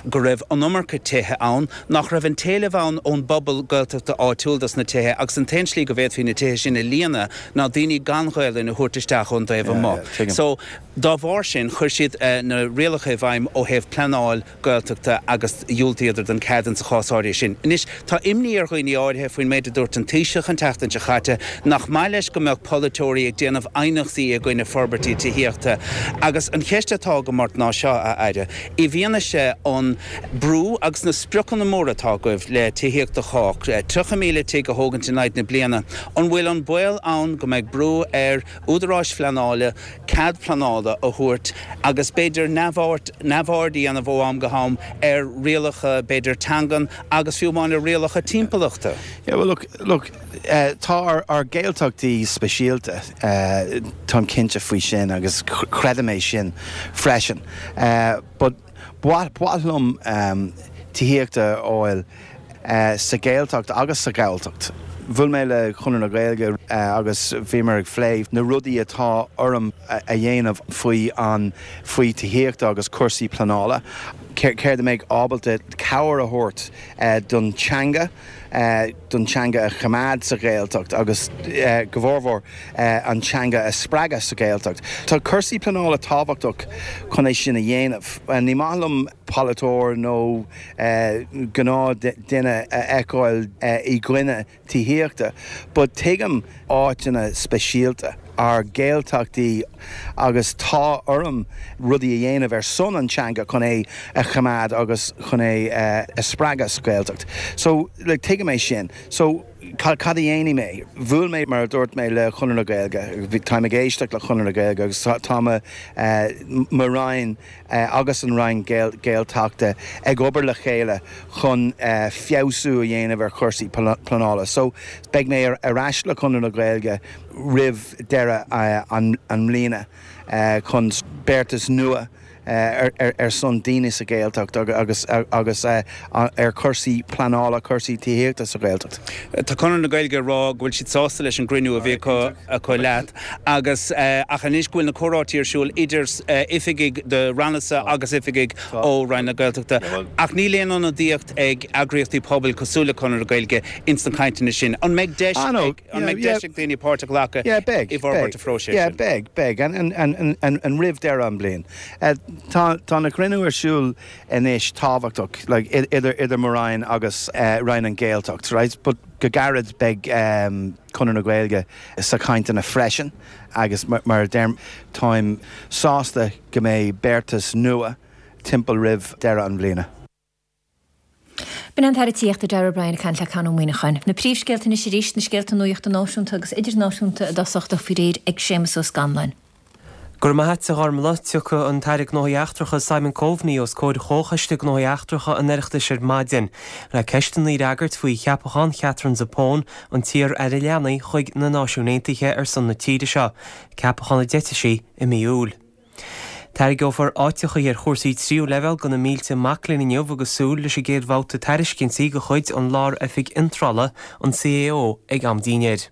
go raibh an iomarca tithe ann, nach raibh an t-éileamh ann ón bpobal Gaeltachta áitiúil dos na tithe agus an t-aon slí go bhféadfaí na tithe sin a líonadh ná daoine gan Ghaelainn a thabhairt isteach ón dtaobh amuigh. So, dá bharr sin, chuir siad na rialacha i bhfeidhm ó thaobh pleanáil Gaeltachta agus dhiúltaíodar don cead insa chás áirithe sin. Anois, tá imní ar dhaoine áirithe faoin méid a dúirt an Taoiseach an tseachtain seo chaite, nach maith leis go mbeadh polaiteoirí ag déanamh aighneachtaí i gcoinne forbairtí tithíochta. Agus an cheist atá agam ort ná seo, a Aire, i bhfianaise an brú agus na spriocanna móra atá agaibh le tithíocht do chách, tríocha míle tigh a thógaint in aghaidh na bliana, an bhfuil an baol ann go mbeidh brú ar údaráis phleanála cead pleanála a thabhairt agus b'fhéidir neamhaird a dhéanamh ó am go ham ar rialacha b'fhéidir teangan agus fiú amháin ar rialacha timpeallachta? Yeah, well look, look, tá ár Gaeltachtaí speisialta, táim cinnte faoi sin agus creidim é sin freisin. But ba mhaith liom tithíocht a fháil sa Ghaeltacht agus sa Ghalltacht. Bhuail mé le Conradh na Gaeilge agus bhíomar ag phlé na rudaí atá orm a dhéanamh faoi an faoi tithíocht agus cúrsaí pleanála. Céard a mbeidh ábalta cabhair a thabhairt don teanga, don teanga a choimeád sa Ghaeltacht agus go mórmhór an teanga a spreagadh sa Ghaeltacht. Tá cúrsaí pleanála tábhachtach chun é sin a dhéanamh. Ní maith liom polaiteoir nó gnáthdhuine a fheiceáil i gcoinne tithíochta, but tuigim áiteanna speisialta, ár Gaeltachtaí agus tá orm rudaí a dhéanamh ar son an teanga chun é a choimeád agus chun é a spreagadh sa Ghaeltacht. So like tuigim é sin. So cad a dhéanfaidh mé? Bhuail mé mar a dúirt mé le Conradh na Gaeilge, táim ag éisteacht le Conradh na Gaeilge agus tá mo Roinn agus an Roinn Gaeltachta ag obair le chéile chun feabhsú a dhéanamh ar chúrsaí pleanála. So beidh mé ar ais le Conradh na Gaeilge roimh deireadh an mbliana chun beartas nua ar son daoine sa Ghaeltacht agus agus ar chúrsaí pleanála, cúrsaí tithíochta sa Ghaeltacht. Tá Conradh na Gaeilge ag rá go bhfuil siad sásta leis an gcruinniú a bhí acu acu leat agus ach anois go bhfuil na comhráití ar siúl idir oifigigh do rannasa agus oifigigh ó Roinn na Gaeltachta. Ach níl aon ionadaíocht ag eagraíochtaí pobail cosúil le Conradh na Gaeilge ins na cainteanna sin. An mbeidh deis ag an mbeidh deis ag daoine páirt a ghlacadh i bhforbairt an phróisis sin? sin? Beidh, beidh, an roimh deireadh an bliain. Tá tá na cruinniú ar siúl anois tábhachtach like idir idir mo Roinn agus Roinn an Gaeltacht right but go gairid beidh Conradh na Gaeilge sa chainteanna freisin agus mar a deirim táim sásta go mbeidh beartas nua timpeall roimh deireadh an bhliana. B'in an tAire Tithíochta Darragh O'Brien ag caint le Conn Ó Muíneacháin. Na príomhscéalta anois arís, na scéalta nuachta náisiúnta agus idirnáisiúnta i dtosach faoi réir ag Séamus Ó Scanláin. Go raibh maith agat, a Ghormlaith. Tiocfaidh an tAire Gnóthaí Eachtracha Simon Coveney os comhair Chomhchoiste Gnóthaí Eachtracha an Oireachtais ar maidin le ceisteanna a fhreagairt faoi cheapachán Katherine Zappone, an t-iar-aire leanaí, chuig na Náisiúin Aontaithe ar son na tíre seo, ceapachán a d'eitigh sí i mí Iúil. Tairgeofar áiteacha ar chúrsaí tríú leibhéal do na mílte mac léinn inniu agus súil leis an gcéad bhabhta tairiscintí de chuid an Lár-Oifig Iontrála, an CAO, ag am dinnéir.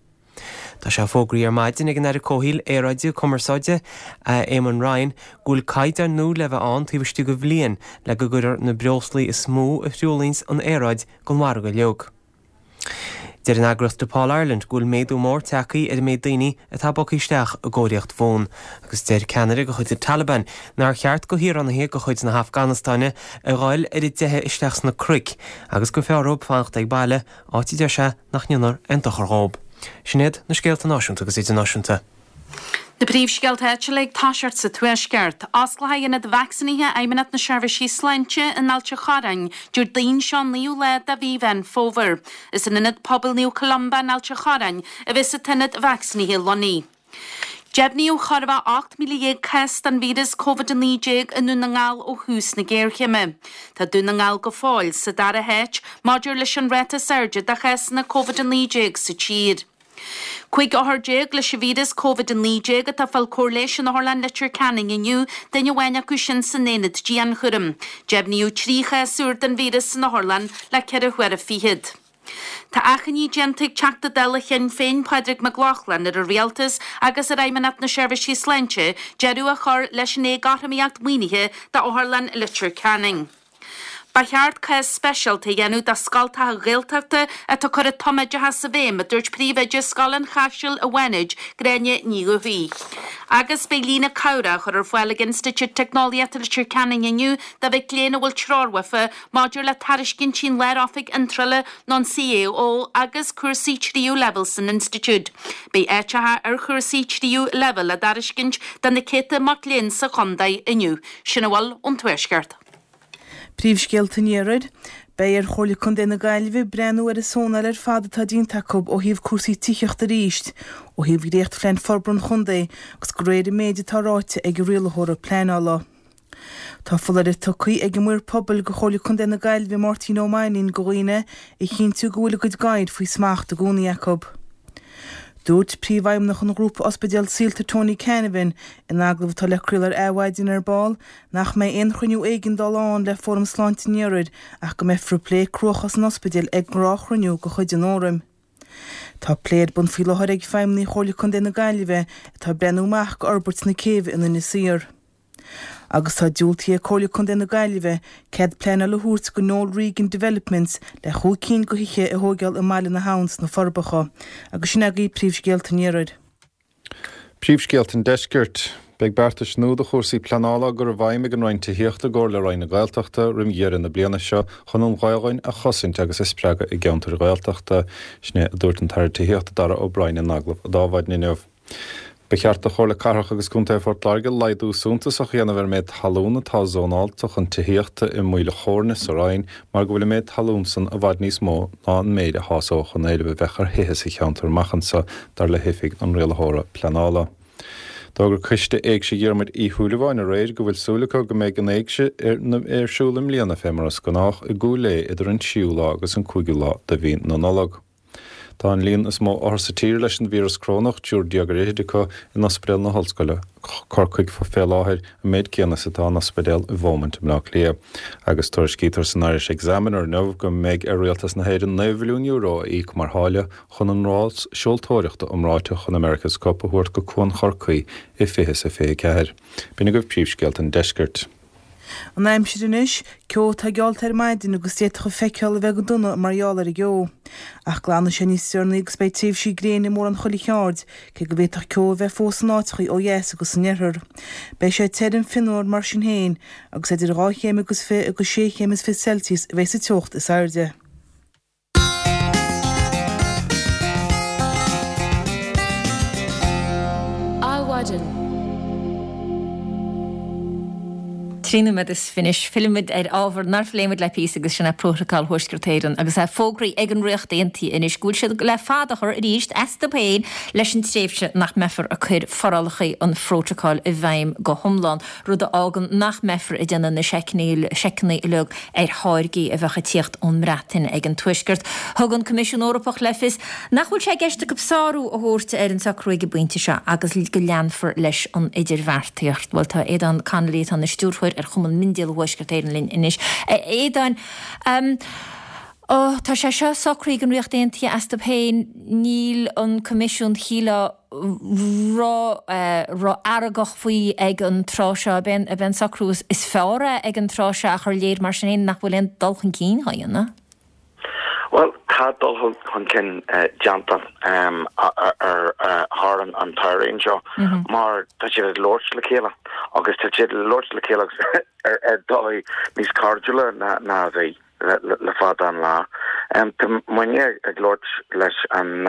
Tá sé fógraithe ar maidin ag an Aire Comhshaoil, Aeráide, Cumarsáide, Eamon Ryan, go bhfuil caighdeáin nua le bheith ann taobh istigh de bhliain le go gcuirfear na breoslaí is mó a thruaillíonns an aeráid den mhargadh uilig. Deir an eagraíocht Depaul Ireland go bhfuil méadú mór tagtha ar an méid daoine atá bogtha isteach i gcóiríocht bhuan agus deir ceannaire de chuid an Taliban nár cheart do shaoránaithe de chuid na hAfganastáine a ghoil ar a dteitheadh isteach sna cnoic agus gur fearr dóibh fanacht ag baile, áit a deir sé nach ndéanfar aon dochar dhóibh. Sin iad na scéalta náisiúnta agus idirnáisiúnta. Na príomhscéalta áitiúla ag toiseacht sa Tuaisceart. Osclóidh Ionad Vacsaínithe Fheidhmeannacht na Seirbhísí Sláinte in Ailt an Chorráin Déardaoin seo an naoú lá de mhí Mheán Fómhair. Is in Ionad Pobail Naomh Columba in Ailt an Chorráin a bheas an t-ionad vacsaínithe lonnaithe. Deimhníodh chóir a bheith ocht míle dhéag cás den víreas Covid a naoi déag i nDún na nGall ó thús na géarchéime. Tá Dún na nGall go fóill sa dara háit maidir leis an ráta is airde de chásanna Covid a naoi déag sa tír. Cúig othar déag leis an víreas Covid a naoi déag atá ag fáil cóir leighis in Otharlann Leitir Ceanainn inniu, duine amháin acu sin san aonad dianchúraim. Deimhníodh trí chás úr den víreas san otharlann le ceithre huaire fichead. Tá achainí déanta ag Teachta Dála Shinn Féin Pádraig Mac Lochlainn ar an Rialtas agus ar Fheidhmeannacht na Seirbhísí Sláinte deireadh a chur leis an éagothromaíocht maoinithe d'Otharlann Leitir Ceanainn. Ba cheart cás speisialta a dhéanamh do scoltacha Gaeltachta atá ag cur an tumoideachas i bhfeidhm, a dúirt príomhoide Scoil an Chaisil i bhFánaid, Gráinne Ní Dhubhthaigh. Agus beidh líne cabhrach á chur ar fáil ag Institiúid Teicneolaíochta Leitir Ceanainn inniu do mhic léinn a bhfuil treoir uafa maidir le tairiscintí an Lár-Oifig Iontrála nó an CAO agus cúrsaí tríú leibhéal san institiúid. Beidh áiteacha ar chúrsaí tríú leibhéal á dtairiscint do na céadta mac léinn sa chontae inniu. Sin a bhfuil ón Tuaisceart. Príomhscéalta an Iarthair, Beidh ar Chomhairle Contae na Gaillimhe breathnú ar an zónáil ar fad atá déanta acu ó thaobh cúrsaí tithíochta arís, ó thaobh dhréachtphlean forbartha an chontae agus de réir an méid atá ráite ag an rialaitheora pleanála. Tá foláireamh tugtha ag an Maor Pobail do Chomhairle Contae na Gaillimhe Máirtín Ó Mainnín do dhaoine a chinntiú go bhfuil a gcuid gadhair faoi smacht i gcónaí acu. Dúirt Príomhfheidhmeannach an Ghrúpa Ospidéal Saolta Tony Canavan in agallamh atá le craoladh ar Adhmhaidin ar ball nach mbeidh aon chruinniú éigeandála ann le Fóram Sláinte an Iarthair ach go mbeifear ag plé cruachás an ospidéil ag gnáthchruinniú de chuid an Fhóraim. Tá plé ar bun faoi láthair ag feidhmeannaigh Chomhairle Contae na Gaillimhe atá ag breathnú amach go fhorbairt na céibhe in Inis Oírr. Agus tá diúltaithe ag Comhairle Contae na Gaillimhe cead pleanála a thabhairt go Noel Regan Developments le chúig cinn de thithe a thóigeáil i mBaile na hAbhann sna Forbacha. Agus sin agaibh príomhscéalta an Iarthair. Príomhscéalta an Deiscirt. Beidh beartais nua do chúrsaí pleanála á gcur i bhfeidhm ag an Roinn Tithíochta i gcomhar le Roinn na Gaeltachta roim dheireadh na bliana seo chun an Ghaelainn a chosaint agus a spreagadh i gceantair Ghaeltachta. Sin é a dúirt an tAire Tithíochta Darragh O'Brien in agallamh d'Adhmhaidin inniu. Ba cheart do Chomhairle Cathrach agus Contae Phort Láirge laghdú suntasach a dhéanamh ar an méid talún atá zónáilte chun tithíochta i Maoil a' Chóirne sa Rinn mar go bhfuil an méid talún san i bhfad níos mó ná an méid a shásódh an éileamh a bheadh ar thithe sa cheantar amach anseo, dar le hOifig an Rialaitheora Pleanála. D'fhógair Coiste Éigse Dhiarmuid Uí Shúilleabháin aréir go bhfuil súil acu go mbeidh an Éigse ar siúl i mbliana fé mar is gnách i gCúil Aodha idir an tríú lá agus an cúigiú lá de mhí na Nollag. Tá an líon is mó othar sa tír leis an víreas corónach, triúr déag ar fhichid acu, in Ospidéal na hOllscoile, Corcaigh, fé láthair, an méid céanna is atá in ospidéal i Beaumont i mBleá Cliath. Agus tuairiscítear san Irish Examiner inniu go mbeidh ar Rialtas na hÉireann naoi mhilliún euro a íoc mar tháille chun an rás seoltóireachta iomráiteach an America's Cup a thabhairt go Cuan Chorcaí i fiche is a fiche ceathair. B'in agaibh príomhscéalta an deiscirt. An aimsir anois, ceo atá geallta ar maidin agus d'fhéadfadh an feiceáil a bheith go dona mar gheall ar an gceo. Ach glanfaidh sé níos deireanaí agus beidh tréimhsí gréine i mórán chuile cheard, cé go bhféadfadh ceo a bheith fós in áiteachaí ó dheas agus san oirthear. Beidh sé tirim fionnuar mar sin féin, agus idir dhá chéim agus fiche agus sé chéim is fiche Celsius a bheidh sa teocht is airde. Adhmhaidin. Trí nóiméad is fiche anois, fillfimid ar ábhar nár phléigh muid le píosa agus sin é Prótacal Thuaisceart Éireann agus é fógraithe ag an Ríocht Aontaithe anois go bhfuil siad le fad a chur arís astu féin leis an tréimhse nach mbeifear ag cur forálacha an Phrótacail i bhfeidhm go hiomlán, rud a fhágann nach mbeifear ag déanamh na seiceanna uilig ar tháirgí a bheadh ag tíocht ón mBreatain ag an Tuaisceart. Thug an Coimisiún Eorpach le fios nach bhfuil sé i gceist acu sárú a thabhairt ar an socrú ag an bpointe seo agus go leanfar leis an idirbheartaíocht. Bhuel, tá Aodán Connolly, atá ina stiúrthóir ar Chumann Miondíola Thuaisceart Éireann linn anois. A Aodáin, tá sé seo socraithe ag an Ríocht Aontaithe astu féin, níl an Coimisiún, shílfeá, ró-fheargach faoi ag an tráth seo. Ab é an socrú is fearr é ag an tráth seo ach ar léir mar sin féin nach bhfuil aon dul chun cinn á dhéanamh? Bhuel, tá dul chun cinn déanta ar thar an teorainn seo mar tá siad ag labhairt le chéile agus tá siad ag labhairt le chéile ar dóigh níos cairdiúla ná a bhí. le fada an lá. Tá muidne ag labhairt leis an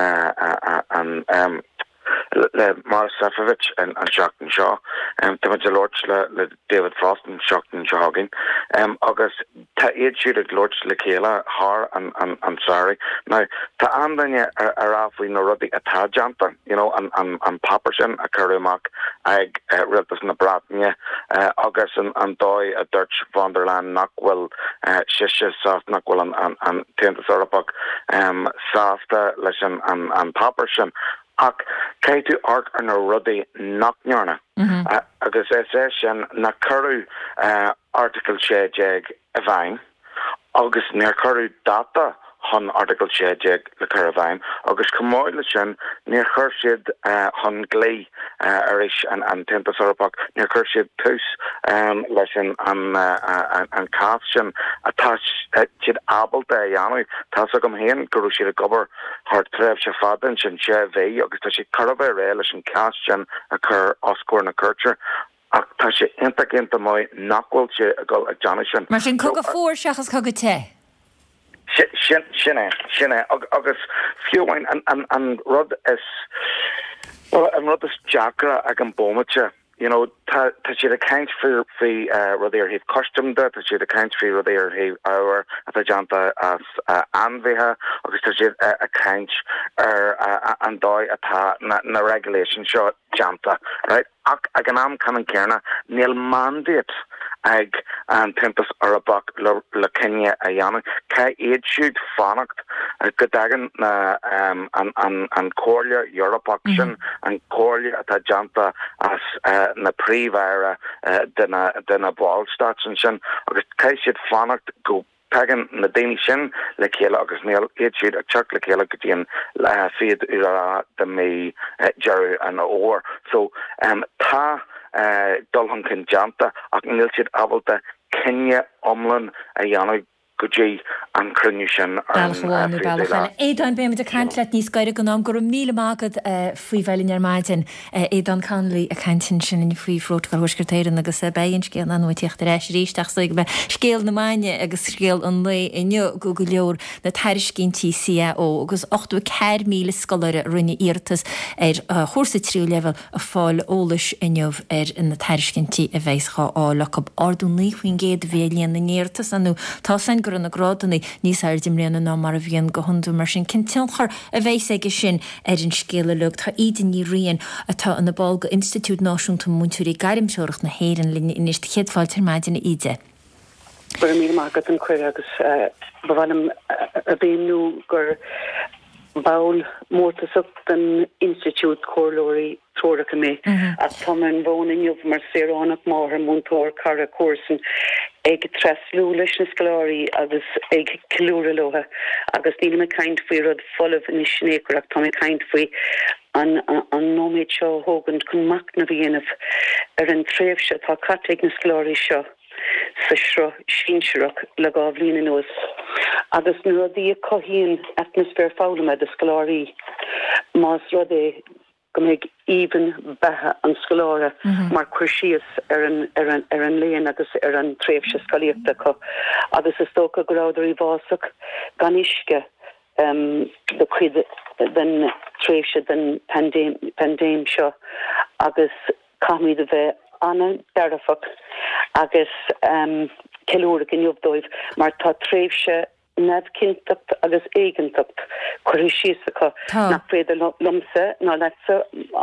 le Maroš Šefčovič an tseachtain seo, tá muid ag labhairt le le David Frost an tseachtain seo chugainn, agus tá iad siúd ag labhairt le chéile thar an an an samhradh. Now, tá an-daoine ag rá faoi na rudaí atá déanta, you know, an an an páipéar sin a cuireadh amach ag Rialtas na Breataine agus an an dóigh a dúirt von der Leyen nach bhfuil sise sásta, nach bhfuil an an an tAontas Eorpach sásta leis an an an páipéar sin. Ach caithfidh tú amharc ar na rudaí nach ndearnadh, agus is é sin nár cuireadh Article sé déag i bhfeidhm agus níor cuireadh dáta chun Article sé déag le cur i bhfeidhm agus chomh maith leis sin níor chuir siad chun dlí arís an an tAontas Eorpach, níor chuir siad tús leis an an an cás sin atá siad ábalta a dhéanamh. Tá's agam féin go raibh siad ag obair thar tréimhse fada ansin, sé mhí, agus tá siad chóir a bheith réidh leis an cás sin a chur os comhair na cúirte. Ach tá sé iontach iontach maith nach bhfuil sé ag dul ag déanamh sin. Mar sin, cogadh fuar seachas cogadh te? Sin sin é, sin é. Agus fiú amháin an an an rud is, bhuel, an rud is deacra ag an bhomaite, you know, tá tá siad ag caint faoi faoi rudaí ar thaobh custaim de, tá siad ag caint faoi rudaí ar thaobh ábhair atá déanta as ainmhithe agus tá siad ag caint ar an dóigh atá na na regulations seo déanta, right? Ach ag an am ceannann céanna, níl mandate ag an tAontas Eorpach le le cinneadh a dhéanamh. Caithfidh iad siúd fanacht go dtagann na an an an Chomhairle Eorpach sin, an comhairle atá déanta as na príomh-aire de na de na ballstáit ansin, agus caithfidh siad fanacht go dtagann na daoine sin le chéile agus níl iad siúd ag teacht le chéile go dtí an fichiú lá de mí Deireadh an Fhómhair. So tá dul chun cinn déanta ach níl siad ábalta cinneadh iomlán a dhéanamh go dtí an cruinniú sin ar an Bealach amháin nó fichiú bealach lá. eile. Aodán, beimid ag caint leat níos gaire don am. Go raibh míle maith agat faoi bheith linn ar maidin. Aodán Connolly ag caint ansin faoi Phrótacal Thuaisceart Éireann agus beidh an scéal ann ag tíocht ar ais arís ach is é scéal na maidine agus scéal an lae inniu go go leor na tairiscintí C A O agus ochtó a ceathair míle scoláire a rinne iarratas ar chúrsa tríú leibhéal ag fáil eolais inniu ar na tairiscintí a bheas á fháil acu. Ardú naoi faoin gcéad a bhí ar líon na n-iarratas nó tá san go raibh na grádanna níos airde i mbliana ná mar a bhíonn go hiondúil mar sin cén tionchar a bheas aige sin ar an scéal uilig. Tá Íde Ní Riain atá ina ball go Institiúid Náisiúnta Múinteoirí Gairmthreorach na hÉireann linn anois céad fáilte ar maidin Íde. Go raibh míle maith agat an cuireadh agus ba mhaith liom a mhíniú gur ball mórtasach den Institiúid Comhairleoirí Treoracha mé ach tá mé ar an bhfón inniu mar saoránach máthair múinteoir cara comharsan ag tréaslú leis na scoláirí agus ag ceiliúradh leo agus níl mé ag caint faoi rud folamh anois in aon chor ach tá mé ag caint faoi an an nóiméad seo a thógaint chun machnamh a dhéanamh ar an tréimhse atá caite ag na scoláirí seo sa sruth sinsearach le dhá bhliain anuas agus na rudaí a chothaíonn atmaisféar foghlama do scoláirí más rud é go mbeidh aoibhinn beatha an scoláire mar chur síos ar an ar an ar an léann agus ar an tréimhse scolaíochta acu agus is dócha go rabhadar i bhfásach gan uisce um, do chuid den tréimhse den paindéim paindéim seo agus caithfimid a bheith an-dearfach agus um, ceiliúradh inniu dóibh mar tá tréimhse neamhchinnteacht agus éiginnteacht curtha síos acu nach féidir liomsa ná leatsa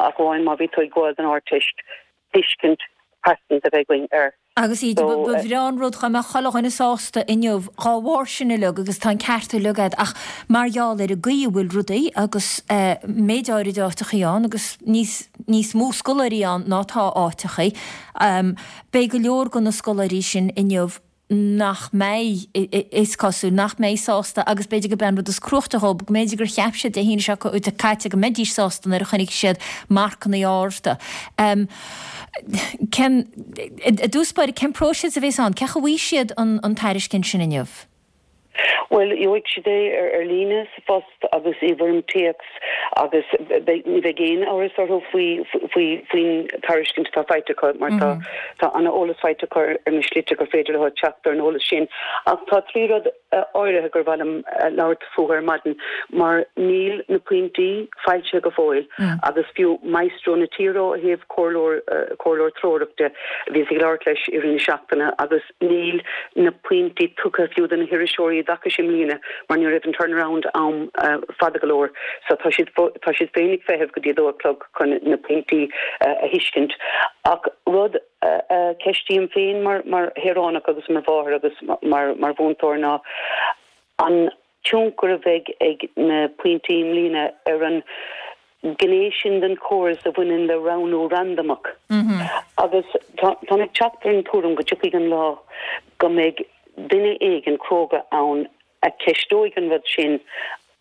ach amháin má bhí tú ag gabháil don Ardteist tuiscint pearsanta a bheith againn air. Agus iad ba bhreá an rud dá mbeadh chuile dhuine sásta inniu dhá bharr sin uilig agus tá an ceart uilig agat ach mar gheall ar an gcaoi a bhfuil rudaí agus méid áirid áiteachaí ann agus níos níos mó scoláirí ann ná tá áiteachaí, beidh go leor de na scoláirí sin inniu nach mbeidh, is cosúil, nach mbeidh sásta agus b'fhéidir gurb é an rud is cruachta dhóibh, go mb'fhéidir gur cheap siad Dé hAoine seo caite go mbeidís sásta nuair a chonaic siad marcanna arda. Cén, i dtús báire, cén próiseas a bheas ann? Cén chaoi a bhfaighidh siad an tairiscint sin inniu? Bhuel, gheobhaidh siad é ar líne, sa phost agus i bhfoirm téacs agus ní bheidh aon amhras orthu faoi faoin tairiscint atá faighte acu mar tá tá an-eolas faighte acu ar na slite gur féidir leo teacht ar an eolas sin. Ach tá trí rud áirithe gur mhaith liom labhairt fúthu ar maidin mar níl na pointí foilsithe go fóill agus fiú maestro na tíre ó thaobh comhairleoir comhairleoir treorach de, bhíos ag labhairt leis i rith na seachtaine agus níl na pointí tugtha fiú do na hiriseoirí i dtaca i mbliana mar ní raibh an turnaround am fada go leor so tá siad tá siad féin ag feitheamh go dtí a dó a chlog chun na pointí a thuiscint. Ach rud a cheistím féin mar mar shaoránach agus mar mháthair agus mar mar mhúinteoir ná an tionchar a bheidh ag na pointí i mbliana ar an gné sin den chóras a bhaineann le roghnú randamach. Agus táim ag teacht ar an tuairim go dtiocfaidh an lá go mbeidh duine éigin cróga ann a cheisteoidh an rud sin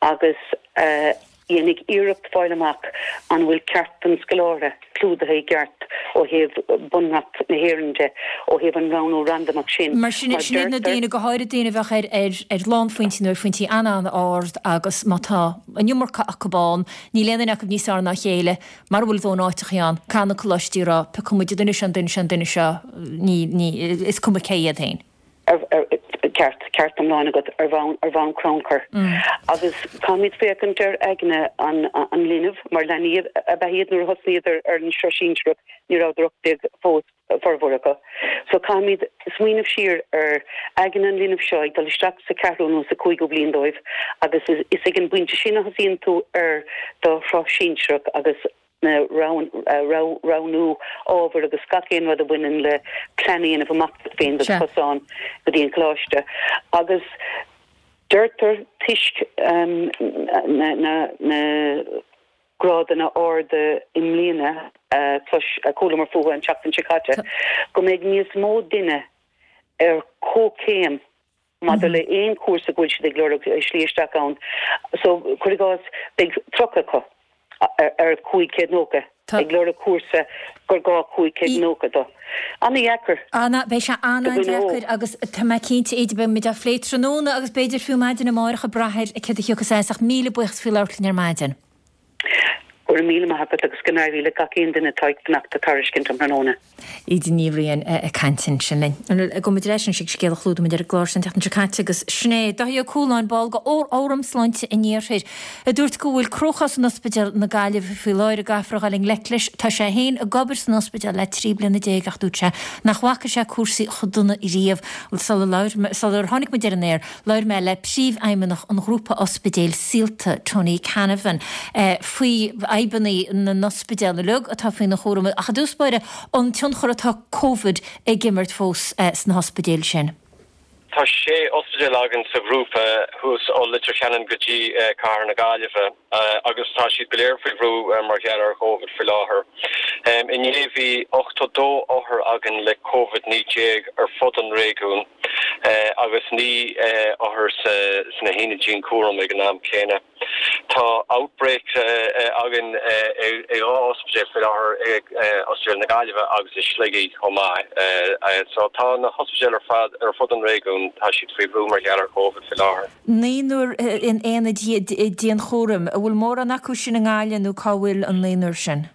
agus a dhéanfaidh iarracht fáil amach an bhfuil ceart an scoláire clúdaithe i gceart ó thaobh Bunreacht na hÉireann de, ó thaobh an roghnú randamach sin. Mar sin, sin iad na daoine, go háirid daoine a bheadh ar ar ar lánphointí nó ar phointí an-an-ard agus má tá an iomarca acu ann, níl aon duine acu níos fearr ná a chéile, mara bhfuil a ndóthain áiteachaí ann, caithfidh na coláistí a rá, piocfaidh muid an duine seo, an duine seo, an duine seo, ní, ní, is cuma cé iad féin. Ceart, ceart iomlán agat ar bhonn, ar bhonn crannchuir. Agus caithfimid féachaint ar aigne an, an linbh, mar leanaí ab ea iad nuair a thosnaíodar ar an sraith sinsearach, ní rabhadar ocht déag fós, formhór acu. So caithfimid smaoineamh siar ar aigne an linbh seo ag dul isteach sa ceathrú nó sa cúigiú bliain dóibh agus is, is ag an bpointe sin a thosaíonn tú ar do shraith sinsearach agus na roghnú ábhar agus gach aon rud a bhaineann le plean a dhéanamh amach duit féin do chosán go dtí an coláiste. Agus deirtear toisc na grádanna arda i mbliana a chualamar fúthu an tseachtain seo caite, go mbeidh níos mó duine ar comhchéim maidir le aon chúrsa go bhfuil siad ag lorg slí isteach ann. So, cuir i gcás, beidh tríocha acu ar cúig chéad nócha ag lorg cúrsa gur gá cúig chéad nócha dó. Ana-dheacair. Ana, beidh sé an-an-deacair agus tá mé cinnte, Íde, beidh muid á phlé tráthnóna agus b'fhéidir fiú maidin amárach ag brath ar céard a thiocfas as ach míle buíochas faoi labhairt linn ar maidin. Go raibh míle maith agat agus go n-éirí le gach aon duine atá ag fanacht do tairiscint um thráthnóna. Íde Ní Riain ag caint ansin linn. Gabhfaidh muid ar ais anois ag scéal a chlúdaigh muid ar an gclár seo an tseachtain seo caite agus sin é Dáithí Ó Cualáin, ball de Fhóram Sláinte an Iarthair, a dúirt go bhfuil cruachás in Ospidéal na Gaillimhe faoi láthair a gcaithfear a dhul i ngleic leis. Tá sé féin ag obair san ospidéal le trí bliana déag ach dúirt sé nach bhfaca sé cúrsaí chomh dona riamh. Sular tháinig muid ar an aer, labhair mé le Príomhfheidhmeannach an ghrúpa ospidéil Saolta, Tony Canavan, faoi fhadhbanna na n-ospidéal uilig atá faoina chúram ach i dtús báire an tionchar atá Covid ag imirt fós sna hospidéil sin. Tá sé ospidéal againn sa ghrúpa thuas ó Leitir Ceanainn go dtí Cathair na Gaillimhe agus tá siad go léir faoi bhrú mar gheall ar Chovid faoi láthair. Inné bhí ochtó dó othar againn le Covid naoi déag ar fud an réigiúin agus naoi othar sna haonaid dianchúraim ag an am céanna. Tá outbreak againn i dhá ospidéal faoi láthair, i Ospidéal na Gaillimhe agus i Sligigh chomh maith. So tá na hospidéil ar fad ar fud an réigiúin, tá siad faoi bhrú mar gheall ar Covid faoi láthair. Naonúr in aonad dianchúraim. An bhfuil mórán acu sin i nGaillimh nó cá bhfuil an naonúr sin?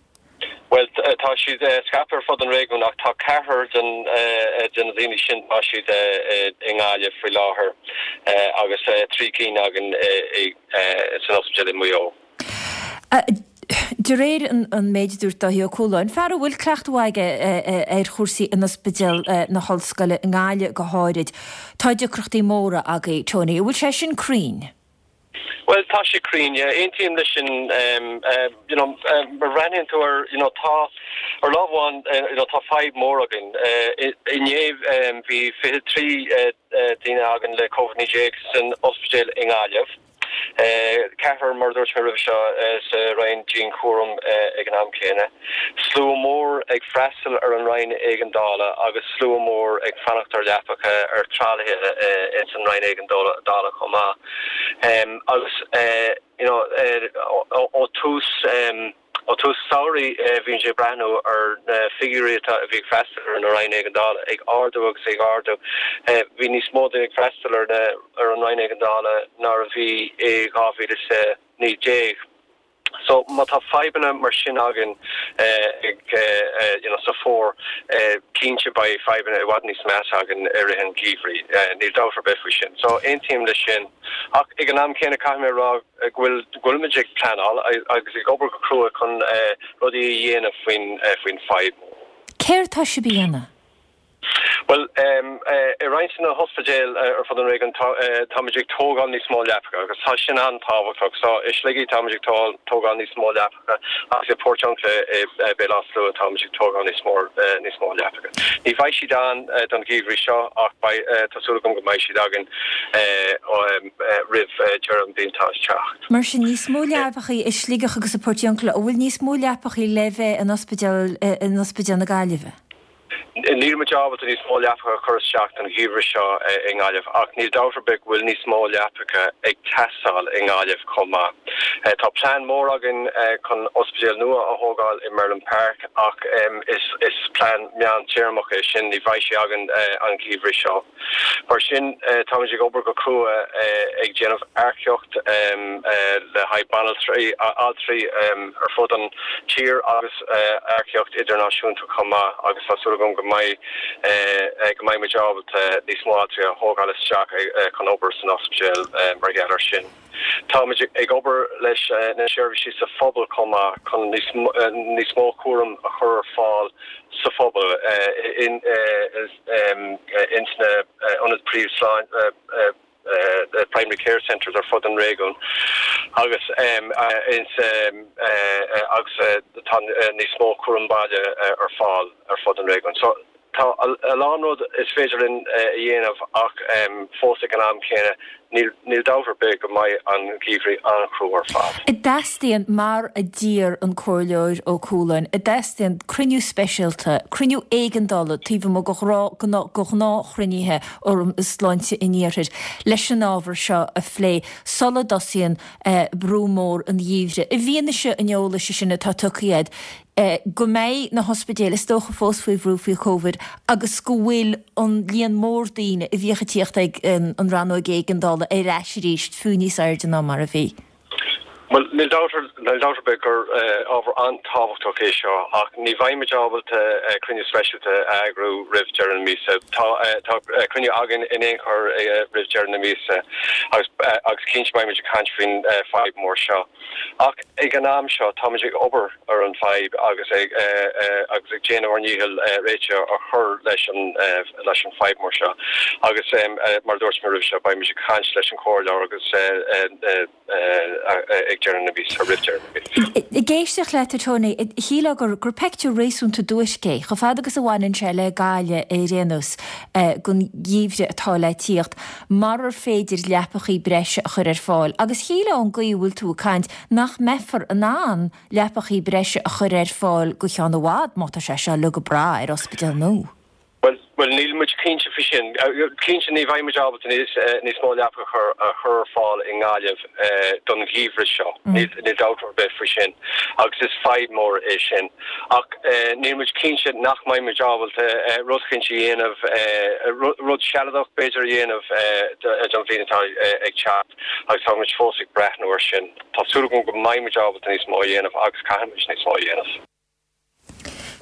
Bhuel, tá siad scaipthe ar fud an réigiúin ach tá ceathrar de na daoine sin, tá siad i nGaillimh faoi láthair agus trí cinn againn san ospidéal i Maigh Eo. De réir an méid a dúirt Dáithí Ó Cualáin, fear a bhfuil cleachtadh mhaith aige ar chúrsaí in Ospidéal na hOllscoile i nGaillimh go háirid, tá deacrachtaí móra agaibh, Tony. An bhfuil sé sin cruinn? Bhuel, tá sé cruinn, yeah. Aontaím leis sin, you know, má bhreathnaíonn tú ar, you know, tá, ar lámh amháin, you know, tá fadhb mór againn. Inné bhí fiche trí daoine againn le Covid naoi déag san ospidéal i nGaillimh. Ceathrar, mar a dúirt mé roimhe seo, sa Roinn Dianchúraim ag an am céanna. Slua mór ag freastal ar an Roinn Éigeandála agus slua mór ag fanacht ar leapacha ar tralaithe ins an Roinn Éigeandála chomh maith. Agus you know ó tús Ó tús samhraidh bhí muid ag breathnú ar na figiúirí atá a bhí ag freastal ar an Roinn Éigeandála ag ardú agus ag ardú. Bhí níos mó daoine ag freastal ar na ar an Roinn Éigeandála ná a bhí i dhá mhíle is a naoi déag. So má tá fadhbanna mar sin againn ag you know sa fómhar, cinnte beidh fadhbanna i bhfad níos measa againn i rith an gheimhridh, níl dabht ar bith faoi sin. So aontaím leis sin. Ach ag an am céanna caithfidh mé a rá go bhfuil go bhfuilimid ag pleanáil agus ag obair go crua chun rudaí a dhéanamh faoin faoin fadhb. Céard tá sibh a dhéanamh? Bhuel, i roinnt de na hospidéil ar fud an réigiúin táimid ag tógáil níos mó leapacha agus tá sin an-tábhachtach. So i Sligigh táimid ag tógáil níos mó leapacha agus i Portiuncula i Béal Átha Sluaighe táimid ag tógáil níos mó níos mó leapacha. Ní bheidh siad ann don gheimhreadh seo ach beidh, tá súil agam go mbeidh siad againn roimh deireadh an bhliain atá ag teacht. Mar sin, níos mó leapacha i Sligeach agus i Portiuncula, an bhfuil níos mó leapacha le bheith in ospidéal in Ospidéal na Gaillimhe? Níl muid ábalta níos mó leapacha a chur isteach don gheimhreadh seo i nGaillimh ach níl dabht ar bith go bhfuil níos mó leapacha ag teastáil i nGaillimh chomh maith. Tá plean mór againn chun ospidéal nua a thógáil i Merlin Park ach is plean meántéarmach é sin, ní bheidh sé againn an geimhreadh seo. Mar sin, táimid ag obair go crua ag déanamh earcaíocht le haghaidh banaltraí, altraí ar fud an tír agus earcaíocht idirnáisiúnta chomh maith agus tá súil agam go mbeidh go mbeidh muid ábalta níos mó altraí a thógáil isteach chun obair san ospidéal mar gheall air sin. Táimid ag obair leis na seirbhísí sa phobal chomh maith chun níos níos mó cúram a chur ar fáil sa phobal in ins na ionaid príomhshláinte primary care centres ar fud an réigiúin agus ins agus tá níos mó cúram baile ar fáil ar fud an réigiúin. So tá a lán rud is féidir linn a dhéanamh ach fós ag an am céanna níl níl dabht ar bith go mbeidh an geimhreadh an-chrua ar fad. An dteastaíonn, mar a d'iarr an Comhairleoir Ó Cualáin, an dteastaíonn cruinniú speisialta, cruinniú éigeandála taobh amuigh de ghnáthchruinnithe Fhóram Sláinte an Iarthair leis an ábhar seo a phlé sula dtosaíonn brú mór an gheimhridh. I bhfianaise an eolais sin atá tugtha agat, go mbeidh na hospidéil is dócha fós faoi bhrú faoi Covid agus go bhfuil an líon mór daoine a bhíodh ag tíocht ag an rannóg éigeandála ar ais arís, fiú níos airde ná mar a bhí. Bhuel, níl dabht níl dabht ar bith gur ábhar an-tábhachtach é seo ach ní bheidh muid ábalta cruinniú speisialta a eagrú roimh deireadh na míosa. Tá tá cruinniú againn in aon chor roimh deireadh na míosa agus agus cinnte beidh muid ag caint faoin fadhb mór seo. Ach ag an am seo táimid ag obair ar an fadhb agus ag agus ag déanamh ár ndícheall réiteach a chur leis an leis an fadhb mór seo agus mar a dúirt mé roimhe seo beidh muid ag caint leis an chomhairleoir agus ag deireadh na míosa, roimh deireadh na míosa. Ag éisteacht leat, a Tony, shílfeá gur gur peictiúr réasúnta duairc é, chomh fada agus a bhaineann sé le Gaillimh ar aon nós, don gheimhreadh atá le tíocht, marar féidir leapachaí breise a chur ar fáil. Agus shílfeá ón gcaoi a bhfuil tú ag caint nach mbeifear in ann leapachaí breise a chur ar fáil go ceann i bhfad má tá sé seo uilig ag brath ar ospidéal nua. Bhuel, bhuel, níl muid cinnte faoi sin. Cinnte ní bheidh muid ábalta níos, níos mó leapacha a chur ar fáil i nGaillimh don gheimhreadh seo. Níl, níl dabht ar bith faoi sin. Agus is fadhb mór é sin. Ach níl muid cinnte nach mbeidh muid ábalta rud eicínt a dhéanamh, rud sealadach b'fhéidir a dhéanamh don bhliain atá ag teacht agus tá muid fós ag breathnú air sin. Tá súil agam go mbeidh muid ábalta níos mó a dhéanamh agus caithfidh muid níos mó a dhéanamh.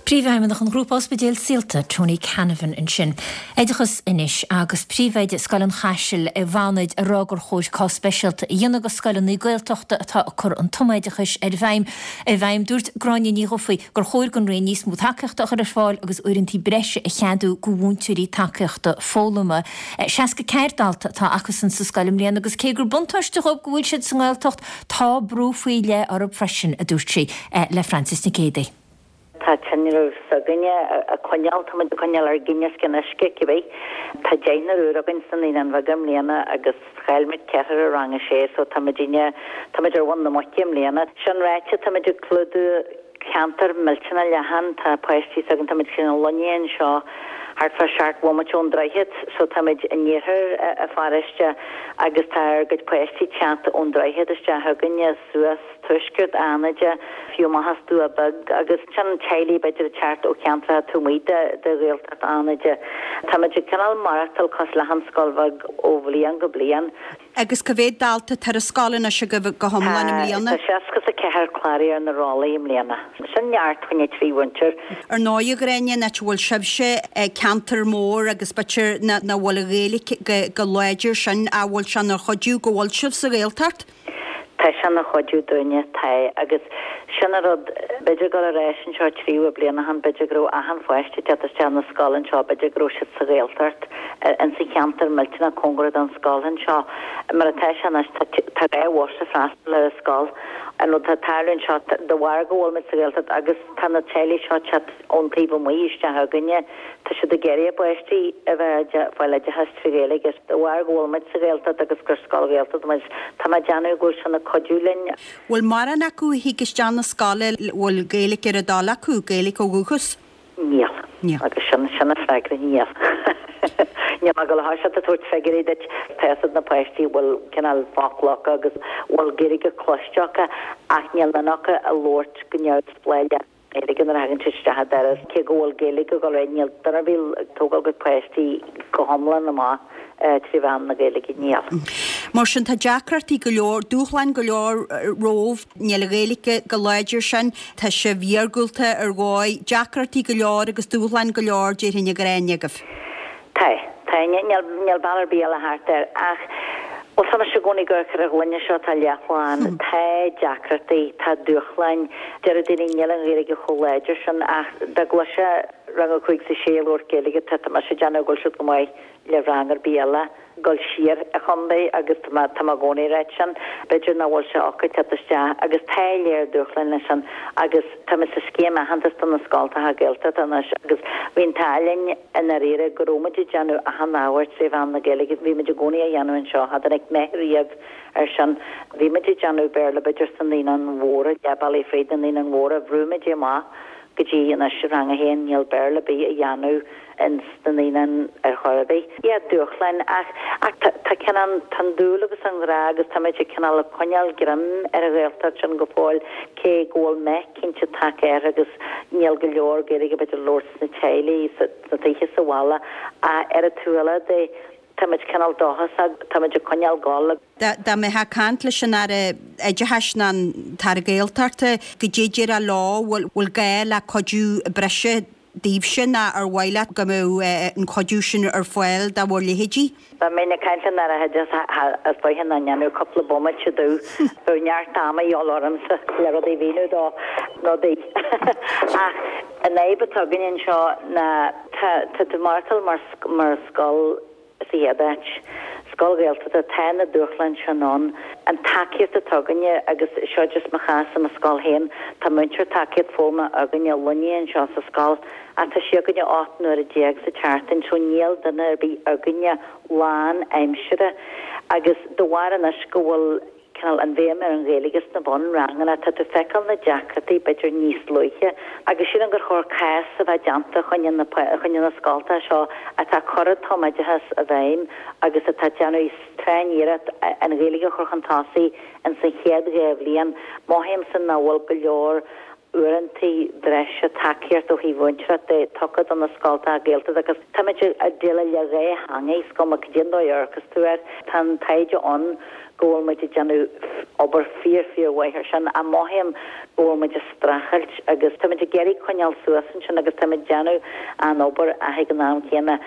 Príomhfheidhmeannach an Ghrúpa Ospidéal Saolta, Tony Canavan ansin. Oideachas anois agus Príomhoide Scoil an Chaisil i bhFánaid ag rá gur chóir cás speisialta a dhéanamh de scoileanna Gaeltachta atá ag cur an tumoideachais ar bhfeidhm i bhfeidhm. Dúirt Gráinne Ní Dhufaigh gur chóir don Roinn níos mó tacaíochta a chur ar fáil agus uaireanta breise a cheadú do mhúinteoirí tacaíochta foghlama. seasca ceathair dalta atá acusan sa scoil i mbliana agus cé gur buntáiste dhóibh go bhfuil siad sa nGaeltacht, tá brú faoi leith orthu freisin, a dúirt sí le Frances Nic Géadaigh. Tá tinreamh s'againne á choinneáil, tá muid ag coinneáil ár gcinn os cionn uisce, cibé. Tá deichniúr úr againn sna Naíonáin Bheaga i mbliana agus chaill muid ceathrar i rang a sé so tá muidinne, tá muid ar mhuin na muice i mbliana. Sin ráite, tá muid ag clúdú ceantar millteanach leathan, tá páistí s'againn, tá muid cineál lonnaithe anseo thart fá seacht bhomaite ón droichead so tá muid in iarthar an pharóiste agus tá ár gcuid páistí ag teacht ón droichead isteach chugainne suas tuaisceart Fhánaide, fiú amach as Dumha Beag agus ansin teaghlaigh b'fhéidir ag teacht ó cheantracha taobh amuigh de de Ghaeltacht Fhánaide. Tá muid ag cineál maireachtáil cosúil le haon scoil bheag ó bhliain go bliain. Agus cá mhéad dalta atá ar an scoil anois agaibh go hiomlán i mbliana? Tá seasca is a ceathair cláraithe ar na rollaí i mbliana. Sin neart fá choinne trí mhúinteoir. Ar ndóigh, a Ghráinne, an áit a bhfuil sibhse, ceantar mór agus b'fhéidir nach bhfuil an Ghaeilge go láidir sin, an bhfuil sé ina chuidiú go bhfuil sibh sa Ghaeltacht? Tá sé ina chuidiú dúinne, tá, agus sin an rud, b'fhéidir dul ar ais anseo trí bliana ó shin, b'fhéidir go raibh achan pháiste ag teacht isteach na scoile anseo, b'fhéidir go raibh siad sa Ghaeltacht, ins an cheantar millteanach cóngarach don scoil anseo. Mar atá sé anois, tá tá dhá bhus ag freastal ar an scoil. An rud atá ag tarlú anseo, de bharr go bhfuil muid sa Ghaeltacht agus tá na teaghlaigh seo ag teacht ón taobh amuigh isteach chugainne, Tá siad ag iarraidh a bpáistí a bheith ag fáil oideachas trí Ghaeilge agus de bharr go bhfuil muid sa Ghaeltacht agus gur scoil Ghaeltachta muid, tá mé ag déanamh go bhfuil sin ag cuidiú linn. Bhfuil mórán acu a thig isteach na scoile, bhfuil Gaeilge ar a dtoil acu, Gaeilge ó dhúchas? Níl. Níl. Agus sin, sin an freagra, níl. Níl mé ag dul a thoiseacht ag tabhairt figiúirí duit, tá fhios ag na páistí bhfuil cineál focla acu agus bhfuil Gaeilge cloiste acu ach níl duine acu ag labhairt go neamhspleách le Gaeilge nuair a thagann siad isteach an doras, cé go bhfuil Gaeilge ag dul ar aghaidh, níl duine ar bith ag tógáil a gcuid páistí go hiomlán amach trí mheán na Gaeilge, níl. Mar sin, tá deacrachtaí go leor, dúshláin go leor romhaibh, níl an Ghaeilge go láidir sin, tá sibh iargúlta ar dhóigh, deacrachtaí go leor agus dúshláin go leor, déarfainn, a Ghráinne, agaibh. Tá, tá, níl, níl bealach ar bith eile thart air ach, bhuel, tá mise i gcónaí ag amharc ar an ghloine seo atá leath-lán. Tá deacrachtaí, tá dúshláin, deir daoine níl an Ghaeilge chomh láidir sin ach dá gcloisfeá rang a cúig is a sé ag labhairt Gaeilge, tá, tá mise ag déanamh go bhfuil siad go maith le rang ar bith eile. Dul siar an chontae agus tá mé, tá mé i gcónaí ag ráit sin. B'fhéidir nach bhfuil sé acu teacht isteach agus tá léar dúshláin leis sin agus tá muid sa scéim aitheantas do na scoltacha Gaeltachta anois agus bhí an t-ádh linn i ndáiríre go raibh muid ag déanamh achan ábhar tré mheán na Gaeilge, bhí muid i gcónaí á dhéanamh anseo, cha dtáinig meath riamh ar sin. Bhí muid ag déanamh Béarla b'fhéidir sna naíonáin mhóra, leath bealaigh fríd na naíonáin mhóra, bhrúigh muid é amach go dtí anois rang a haon, níl Béarla ar bith á dhéanamh ins na naíonáin ar chor ar bith. Yeah, dúshláin, ach, ach tá, tá cineál, tá an dúil agus an grá agus tá muid ag cineál ag coinneáil greim ar an Ghaeltacht sin go fóill, cé go bhfuil meath cinnte tagtha air agus níl go leor Gaeilge b'fhéidir á labhairt sna teaghlaigh, sa, sna tithe sa bhaile, ach ar an taobh eile de, tá muid cineál dóchasach, tá muid ag coinneáil gol. Dá mbeifeá ag caint leis an Aire Oideachais ná an tAire Gaeltachta, goidé déarfá leo, bhfuil, bhfuil gá le cuidiú breise daoibhse nó ar mhaith leat go mbeadh an cuidiú sin ar fáil do bhur leithéidí? Dá mbeinn ag caint leis an Aire Oideachais is dóiche nach ndéanfadh cúpla bomaite domh. Bheadh neart ama a dhíobháil ormsa le rudaí a mhíniú dó, rudaí. Ach an fhadhb atá againn anseo ná tá tá tú ag maireachtáil mar mar scoil sa chéad áit. Scoil Ghaeltachta, tá na dúshláin sin ann. An tacaíocht atá againne, agus seo just mo chás i mo scoil féin, tá múinteoir tacaíocht foghlama againne lonnaithe anseo sa scoil ach tá sí againne ocht n-uaire déag sa tseachtain so níl duine ar bith againne lán aimsire agus de bharr anois go bhfuil cineál an bhéim ar an Ghaeilge sna bunranganna, tá tú ag feiceáil na deacrachtaí b'fhéidir níos luaithe agus sílim gur chóir cás a bheith déanta choinne na choinne na scoltacha seo atá ag cur an tumoideachas i bhfeidhm agus atá ag déanamh tréan-iarracht an Ghaeilge a chur chun tosaigh ins an chéad dhá bhliain. Mothaímse nach bhfuil go leor uaireanta breise tacaíocht ó thaobh mhúinteoireacht de tugtha do na scoltacha Gaeltachta agus táimid ag déileáil le dhá theanga, is cuma cad é an dóigh a amharcas tú air. Tá an taighde ann go bhfuil muid ag déanamh obair fíor fíor mhaith ar sin ach mothaím go bhfuil muid ag streachailt agus táimid ag iarraidh coinneáil suas ansin agus táimid ag déanamh an obair ach ag an am céanna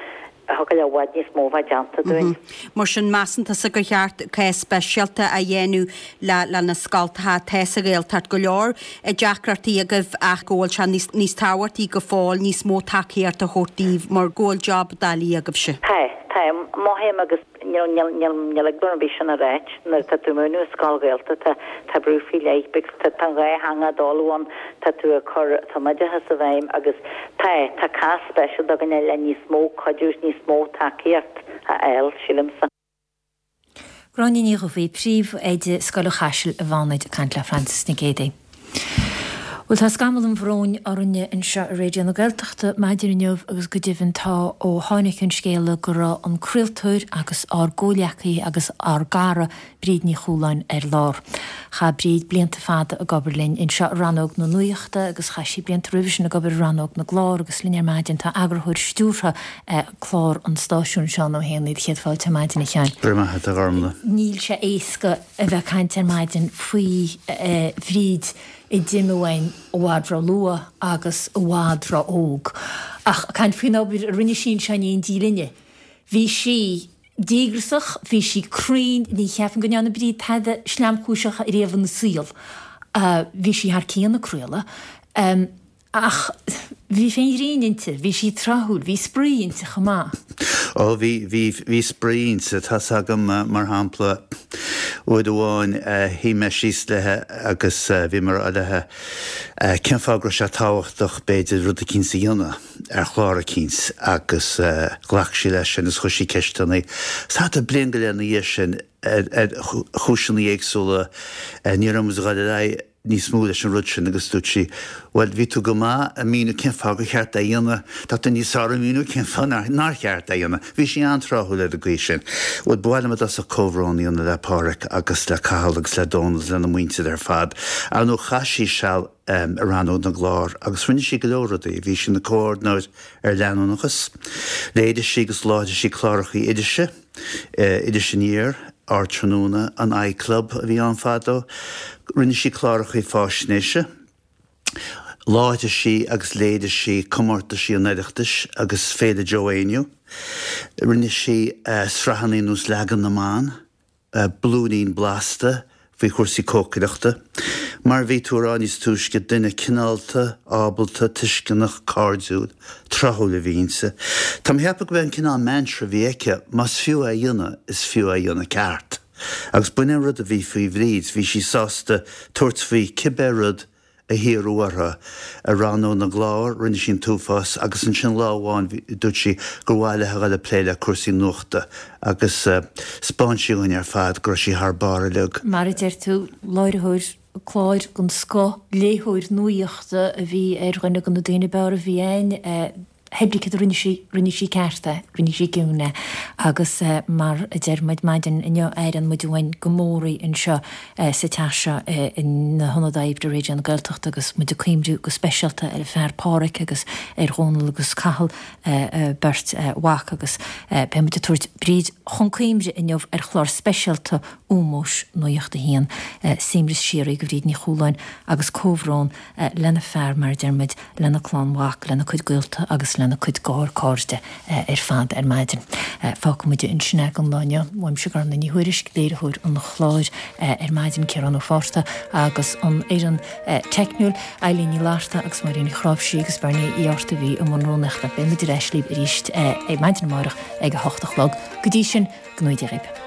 thiocfadh le i bhfad níos mó a bheith déanta dúinn. Mar sin, measann tusa gur cheart cás speisialta a dhéanamh le le na scoltacha atá sa Ghaeltacht, go leor deacrachtaí agaibh ach go bhfuil sé níos níos tábhachtaí go fóill níos mó tacaíocht a thabhairt daoibh mar go bhfuil job doiligh agaibhse. Tá, tá. Mothaím agus níl níl níl níl eagla orm ar bith sin a ráit, nuair atá tú ag múineadh i scoil Ghaeltachta tá brú faoi leith because tá tá an dhá theanga ag dul ann, tá tú ag cur tumoideachas i bhfeidhm agus tá tá cás speisialta againne le níos mó cuidiú is níos mó tacaíocht a fháil, sílimse. Gráinne Ní Dhubhthaigh, Príomhoide Scoil an Chaisil i bhFánaid ag caint le Frances Nic Géadaigh. Bhuel, tá scamall an bhróin orainne anseo i Raidió na Gaeltachta maidin inniu agus go deimhin tá ó tháinig an scéala go raibh an craoltóir agus ár gcomhleacaí agus ár gcara Bríd Ní Chualáin ar lár. Chaith Bríd blianta fada ag obair linn anseo i rannóg na nuachta agus chaith sí blianta roimhe sin ag obair i rannóg na gclár agus linn ar maidin tá eagarthóir stiúrtha clár an stáisiúin, Seán Ó hÉanaí. Céad fáilte ar maidin, a Sheáin. Go raibh maith agat, a Ghormlaith. Níl sé éasca a bheith ag caint ar maidin faoi Bhríd a d'imigh uainn i bhfad ró-luath agus i bhfad ró-óg. Ach ag caint faoin obair a rinne sí anseo in éindí linne, bhí sí díograsach, bhí sí cruinn, ní cheapaim go ndearna Bríd tada sleamchúiseach riamh ina saol. Bhí sí thar cionn ag craoladh. Ach bhí féith an ghrinn inti, bhí sí tráthúil, bhí spraoi inti chomh maith. Ó bhí, bhí, bhí spraoi inti. Tá's agam, mar shampla, uair amháin shuigh mé síos léi agus bhí mé ag rá léi cén fáth go raibh sé tábhachtach b'fhéidir rud eicínt a dhéanamh ar chlár eicínt agus ghlac sí leis sin agus chuir sí ceisteanna. Thart ar bliain go leith ina dhiaidh sin ar chúiseanna éagsúla ní raibh muid ag dul ar aghaidh níos mó leis an rud sin agus dúirt sí, bhuel, bhí tú go maith ag míniú cén fáth gur cheart é a dhéanamh, tá tú níos fearr ag míniú cén fáth nár, nár cheart é a dhéanamh. Bhí sí an-tráthúil ar an gcaoi sin. Bhuel, ba mhaith liom i dtosach comhbhrón a dhéanamh le Páraic agus le Cathal agus le Dónal agus lena muintir ar fad. Ar ndóigh, chaith sí seal i rannóg na gclár agus rinne sí go leor rudaí. Bhí sí ina comhordaitheoir ar leanúnachas. Léirigh sí agus láithrigh sí clárachaí irise. Iris Aniar, Ardtráthnóna, an I-Club a bhí ann fadó. Rinne sí clárachaí fáisnéise. Láithrigh sí agus léirigh sí comórtaisí an Oireachtais agus Féile Joe Éinniú. Rinne sí sraitheanna ar nós Leagan na mBan. Blúirín Blasta faoi chúrsaí cócaireachta. Mar a bhí tú a rá níos túisce, duine cineálta, ábalta, tuisceanach, cairdiúil, tráthúil a bhí inti. Tá mé ag ceapadh gurb é an cineál mantra a bhí aici, más fiú é a dhéanamh, is fiú é a dhéanamh ceart. Agus b'in é an rud a bhí faoi Bhríd, bhí sí sásta tabhairt faoi cibé rud a hiarradh uirthi. I rannóg na gclár, rinne sí an t-uafás agus ansin lá amháin dúirt sí gur mhaith léi a dhul ag plé le cúrsaí nuachta agus 'spáin sí dhúinn ar fad go raibh sí thar barr uilig. Mar a deir tú, láithreoir cláir den scoth, léitheoir nuachta a bhí ar dhuine de na daoine ab fhearr a bhí ann. Pé brí cad a rinne sí, rinne sí ceart é, rinne sí ciúin é. Agus mar a deir muid maidin inniu, airíonn muid uainn go mór í anseo sa teach seo ina hionad oibre Raidió na Gaeltachta agus muid ag cuimhniú go speisialta ar a fear Páraic agus ar Dhónal agus Cathal, a beirt mhac agus beidh muid ag tabhairt Bríd chun cuimhne inniu ar chlár speisialta ómóis Nuacht a hAon. Suaimhneas síoraí do Bhríd Ní Chualáin agus comhbhrón lena fear, mar a deir muid, lena clann mhac, lena cuid gaolta agus lena cuid garchairde ar fad ar maidin. Fágfaidh muid ansin é don lá inniu. Uaimse Gormfhlaith Ní Thuairisg, léiritheoir an chláir ar maidin, Ciarán Ó Fátharta agus an fhoireann teicniúil, Eilín Ní Fhlatharta agus Máirín Ní Chráimhsí agus Bernie Uí Fhátharta a bhí i mbun rúnaíochta. Beidh muid ar ais libh arís ar maidin amárach ag a hocht a chlog. Go dtí sin, go ngnóthaí Dia dhaoibh.